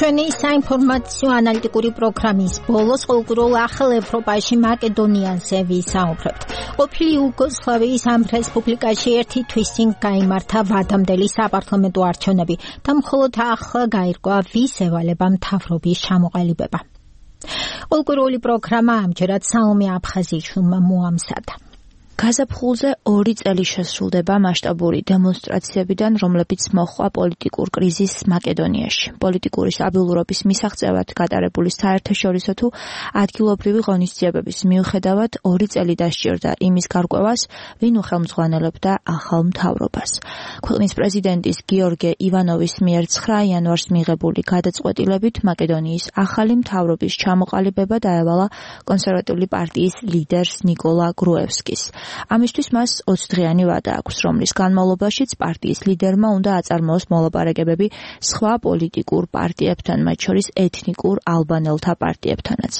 ჩვენი საინფორმაციო ანალიტიკური პროგრამის ბოლოს კულტურულ ახალ ევროპაში მაკედონიაზე ვისაუბრებთ. ყოფილი იუგოსლავიის ამ რესპუბლიკაში ერთი თვის წინ გაიმართა ვადამდელი საპარლამენტო არჩევნები და მხოლოდ ახლა გაირკვა ვის ევალება მთავრობის ჩამოყალიბება. კულტურული პროგრამა ამჯერად სალომე აფხაზიშვილმა მოამზადა. გაზაფხულზე 2 წელი შესრულდება მასშტაბური დემონსტრაციებიდან, რომლებიც მოჰყვა პოლიტიკურ კრიზისს მაკედონიაში. პოლიტიკური სტაბილურობის მისაღწევად გატარებული საერთაშორისო თუ ადგილობრივი ღონისძიებების მიუხედავად 2 წელი დასჭირდა იმის გარკვევას, ვინ უხელმძღვანელებდა ახალ მთავრობას. ქვეყნის პრეზიდენტის გიორგე ივანოვის მიერ 9 იანვარს მიღებული გადაწყვეტილებით მაკედონიის ახალი მთავრობის ჩამოყალიბება დაევალა კონსერვატიული პარტიის ლიდერს ნიკოლა გრუევსკის. ამისთვის მას 20 დღიანი ვადა აქვს, რომლის განმავლობაშიც პარტიის ლიდერმა უნდა აწარმოოს მოლაპარაკებები სხვა პოლიტიკურ პარტიებთან, მათ შორის ეთნიკურ ალბანელთა პარტიებთანაც.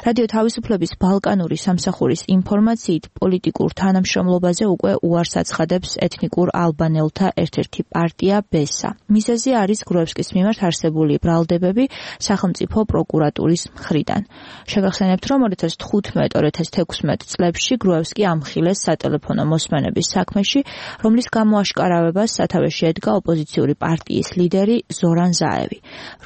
რადიო თავისუფლების ბალკანური სამსახურის ინფორმაციით, პოლიტიკურ თანამშრომლობაზე უკვე უარს აცხადებს ეთნიკურ ალბანელთა ერთ-ერთი პარტია ბესა. მიზეზი არის გრუევსკის მიმართ არსებული ბრალდებები სახელმწიფო პროკურატურის მხრიდან. შეგახსენებთ, რომ 2015-2016 წლებში გრუევსკი ამხილეს სატელეფონო მოსმენების საქმეში, რომლის გამოაშკარავებას სათავეში ედგა ოპოზიციური პარტიის ლიდერი ზორან ზაევი.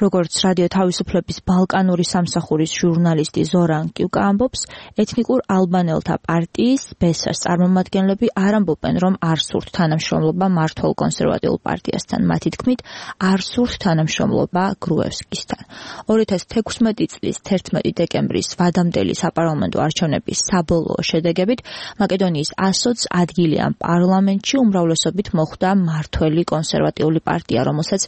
როგორც რადიო თავისუფლების ბალკანური სამსახურის ჟურნალისტი ზორან კიუკა ამბობს, ეთნიკურ ალბანელთა პარტიის ბესას წარმომადგენლები არ ამბობენ, რომ არ სურთ თანამშრომლობა მმართველ კონსერვატიულ პარტიასთან. მათი თქმით, არ სურთ თანამშრომლობა გრუევსკისთან. 2016 წლის 11 დეკემბრის ვადამდელი საპარლამენტო არჩევნების საბოლოო შედეგებით მაკედონიის 120 ადგილი ამ პარლამენტში უმრავლესობით მოხვდა მმართველი კონსერვატიული პარტია, რომელსაც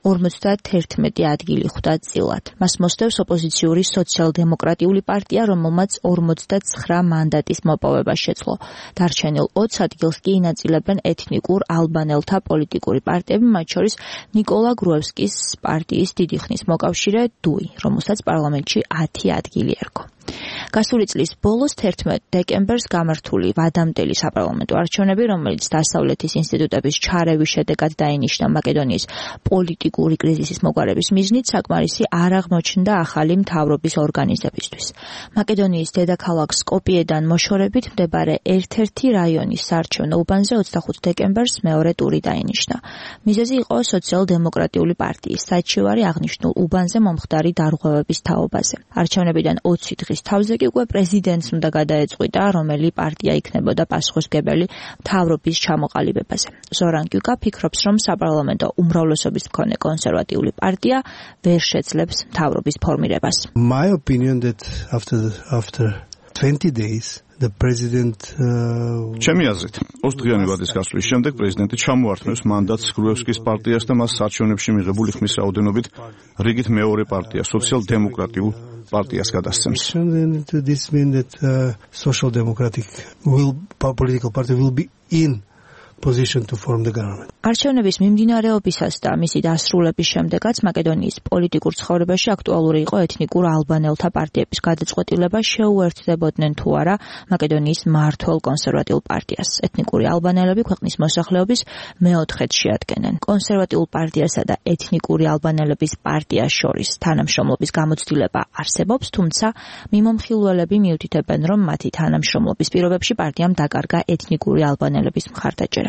51 ადგილი ხვდა წილად. მას მოსდევს ოპოზიციური სოციალ-დემოკრატიული პარტია, რომელმაც 49 მანდატის მოპოვება შეძლო. დარჩენილ 20 ადგილს კი ინაწილებენ ეთნიკურ ალბანელთა პოლიტიკური პარტიები, მათ შორის ნიკოლა გრუევსკის პარტიის დიდი ხნის მოკავშირე დუი, რომელსაც პარლამენტში 10 ადგილი ერგო. გასული წლის ბოლოს 11 დეკემბერს გამართული ვადამდელი საპარლამენტო არჩევნები, რომელიც დასავლეთის ინსტიტუტების ჩარევის შედეგად დაინიშნა მაკედონიის პოლიტიკური კრიზისის მოგვარების მიზნით, საკმარისი არ აღმოჩნდა ახალი მთავრობის ორგანიზებისთვის. მაკედონიის დედაქალაქ სკოპიედან მოშორებით მდებარე ერთ-ერთი რაიონის საარჩევნო უბანზე 25 დეკემბერს მეორე ტური დაინიშნა. მიზეზი იყო სოციალ-დემოკრატიული პარტიის საჩივარი აღნიშნულ უბანზე მომხდარი დარღვევების თაობაზე. არჩევნებიდან 20 დღის თავზე კი უკვე პრეზიდენტს უნდა გადაეწყვიტა, რომელი პარტია იქნებოდა პასუხისმგებელი მთავრობის ჩამოყალიბებაზე. ზორან კიუკა ფიქრობს, რომ საპარლამენტო უმრავლესობის მქონე კონსერვატიული პარტია ვერ შეძლებს მთავრობის ფორმირებას. My opinion that after 20 days the president ჩემი აზრით 20 დღიანი ვადის გასვლის შემდეგ პრეზიდენტი ჩამოართმევს მანდატს გრუევსკის პარტიას და მას არჩევნებში მიღებული ხმის რაოდენობით რიგით მეორე პარტია სოციალ-დემოკრატიულ პარტიას გადასცემს. This means that social democratic political party will be in position to form the government. არჩევნების მიმდინარეობისას და მისი დასრულების შემდეგაც მაკედონიის პოლიტიკურ ცხოვრებაში აქტუალური იყო ეთნიკურ ალბანელთა პარტიების გადაწყვეტილება შეუერთდებოდნენ თუ არა მაკედონიის მმართველ კონსერვატიულ პარტიას. ეთნიკური ალბანელები ქვეყნის მოსახლეობის მეოთხედს შეადგენენ. კონსერვატიულ პარტიასა და ეთნიკური ალბანელების პარტიას შორის თანამშრომლობის გამოცდილება არსებობს, თუმცა მიმომხილველები მიუთითებენ, რომ მათი თანამშრომლობის პირობებში პარტიამ დაკარგა ეთნიკური ალბანელების მხარდაჭერა.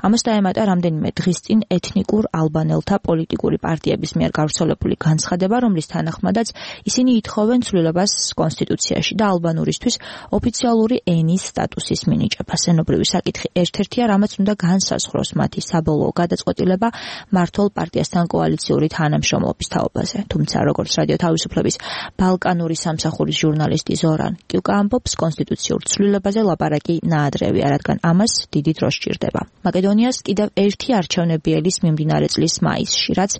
ამას დაემატა რამდენიმე დღის წინ ეთნიკურ ალბანელთა პოლიტიკური პარტიების მიერ გავრცელებული განცხადება, რომლის თანახმადაც ისინი ითხოვენ ცვლილებას კონსტიტუციაში და ალბანურისთვის ოფიციალური ენის სტატუსის მინიჭებას. ენობრივი საკითხი ერთ-ერთია, რამაც უნდა განსაზღვროს მათი საბოლოო გადაწყვეტილება მმართველ პარტიასთან კოალიციური თანამშრომლობის თაობაზე. თუმცა, როგორც რადიო თავისუფლების ბალკანური სამსახურის ჟურნალისტი ზორან კიუკა ამბობს, კონსტიტუციურ ცვლილებაზე ლაპარაკი ნაადრევია, რადგან ამას დიდი დრო სჭირდება. მაკედონიას კიდევ ერთი არჩევნები ელის მიმდინარე წლის მაისში, რაც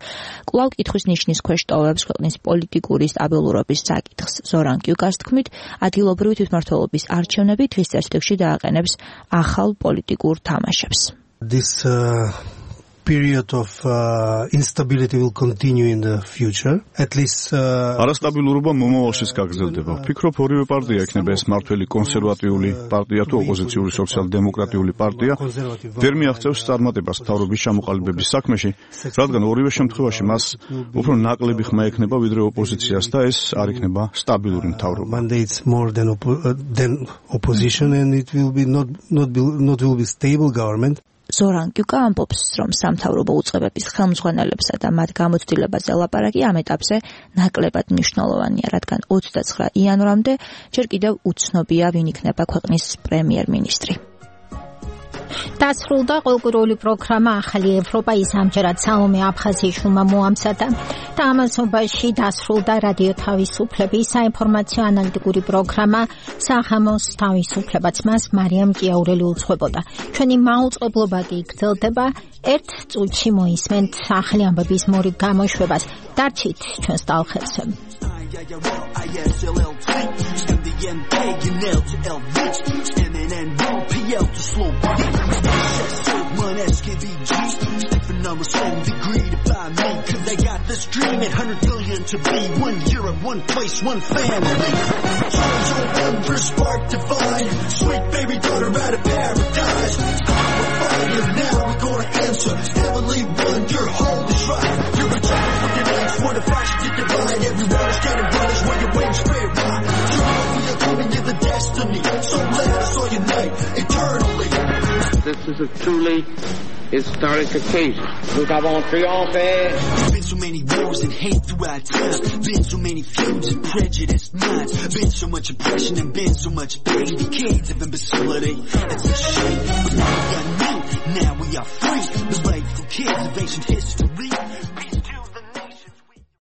კვლავ კითხვის ნიშნის ქვეშ ტოვებს ქვეყნის პოლიტიკური სტაბილურობის საკითხს. ზორან კიუკას თქმით, ადგილობრივი თვითმმართველობის არჩევნები დღის წესრიგში დააყენებს ახალ პოლიტიკურ თამაშებს. This period of instability will continue in the future. At least არასტაბილურობა მომავალშიც გაგრძელდება. ვფიქრობ, ორივე პარტია იქნება ეს მმართველი კონსერვატიული პარტია თუ ოპოზიციური სოციალ-დემოკრატიული პარტია ვერ მიაღწევს წარმატებას მთავრობის ჩამოყალიბების საქმეში, რადგან ორივე შემთხვევაში მას უფრო ნაკლები ხმა ექნება ვიდრე ოპოზიციას და ეს არ იქნება სტაბილური მთავრობა. Mandates more than opposition and it will be not will be stable government. ზორან კიუკა ამბობს, რომ სამთავრობო უწყებების ხელმძღვანელებსა და მათ გამოცდილებაზე ლაპარაკი ამ ეტაპზე ნაკლებად მნიშვნელოვანია, რადგან 29 იანვრამდე ჯერ კიდევ უცნობია, ვინ იქნება ქვეყნის პრემიერ-მინისტრი. დასრულდა ყოველკვირეული პროგრამა ახალი ევროპა, ის ამჯერად სალომე აფხაზიშვილმა მოამზადა და ამასობაში დასრულდა რადიო თავისუფლების საინფორმაციო ანალიტიკური პროგრამა საღამოს თავისუფლებაც, მას მარიამ ჭიაურელი უძღვებოდა. ჩვენი მაუწყებლობა კი გრძელდება, ერთ წუთში მოისმენთ ახალი ამბების მორიგ გამოშვებას. დარჩით ჩვენს ტალღებზე. Numbers from degree to buy me, cause they got this dream at 100 billion to be 1 Europe, 1 place, 1 family. Souls your wonder spark divine, sweet baby daughter out of paradise. We're fire now, we're gonna answer. Heavenly one, your hold is right. You're a child with your legs for the fashion to divine. Everyone is getting brothers where your wings spread wide. You know we are coming to the destiny, so let us all unite eternally. This is a truly historic occasion. Nous avons triomphé. Been so many wars and hate throughout time. Been so many feuds and prejudiced minds. Been so much oppression and been so much pain. Decades of imbecility. It's a shame. But now we are new. Now we are free. The rightful kids of ancient history.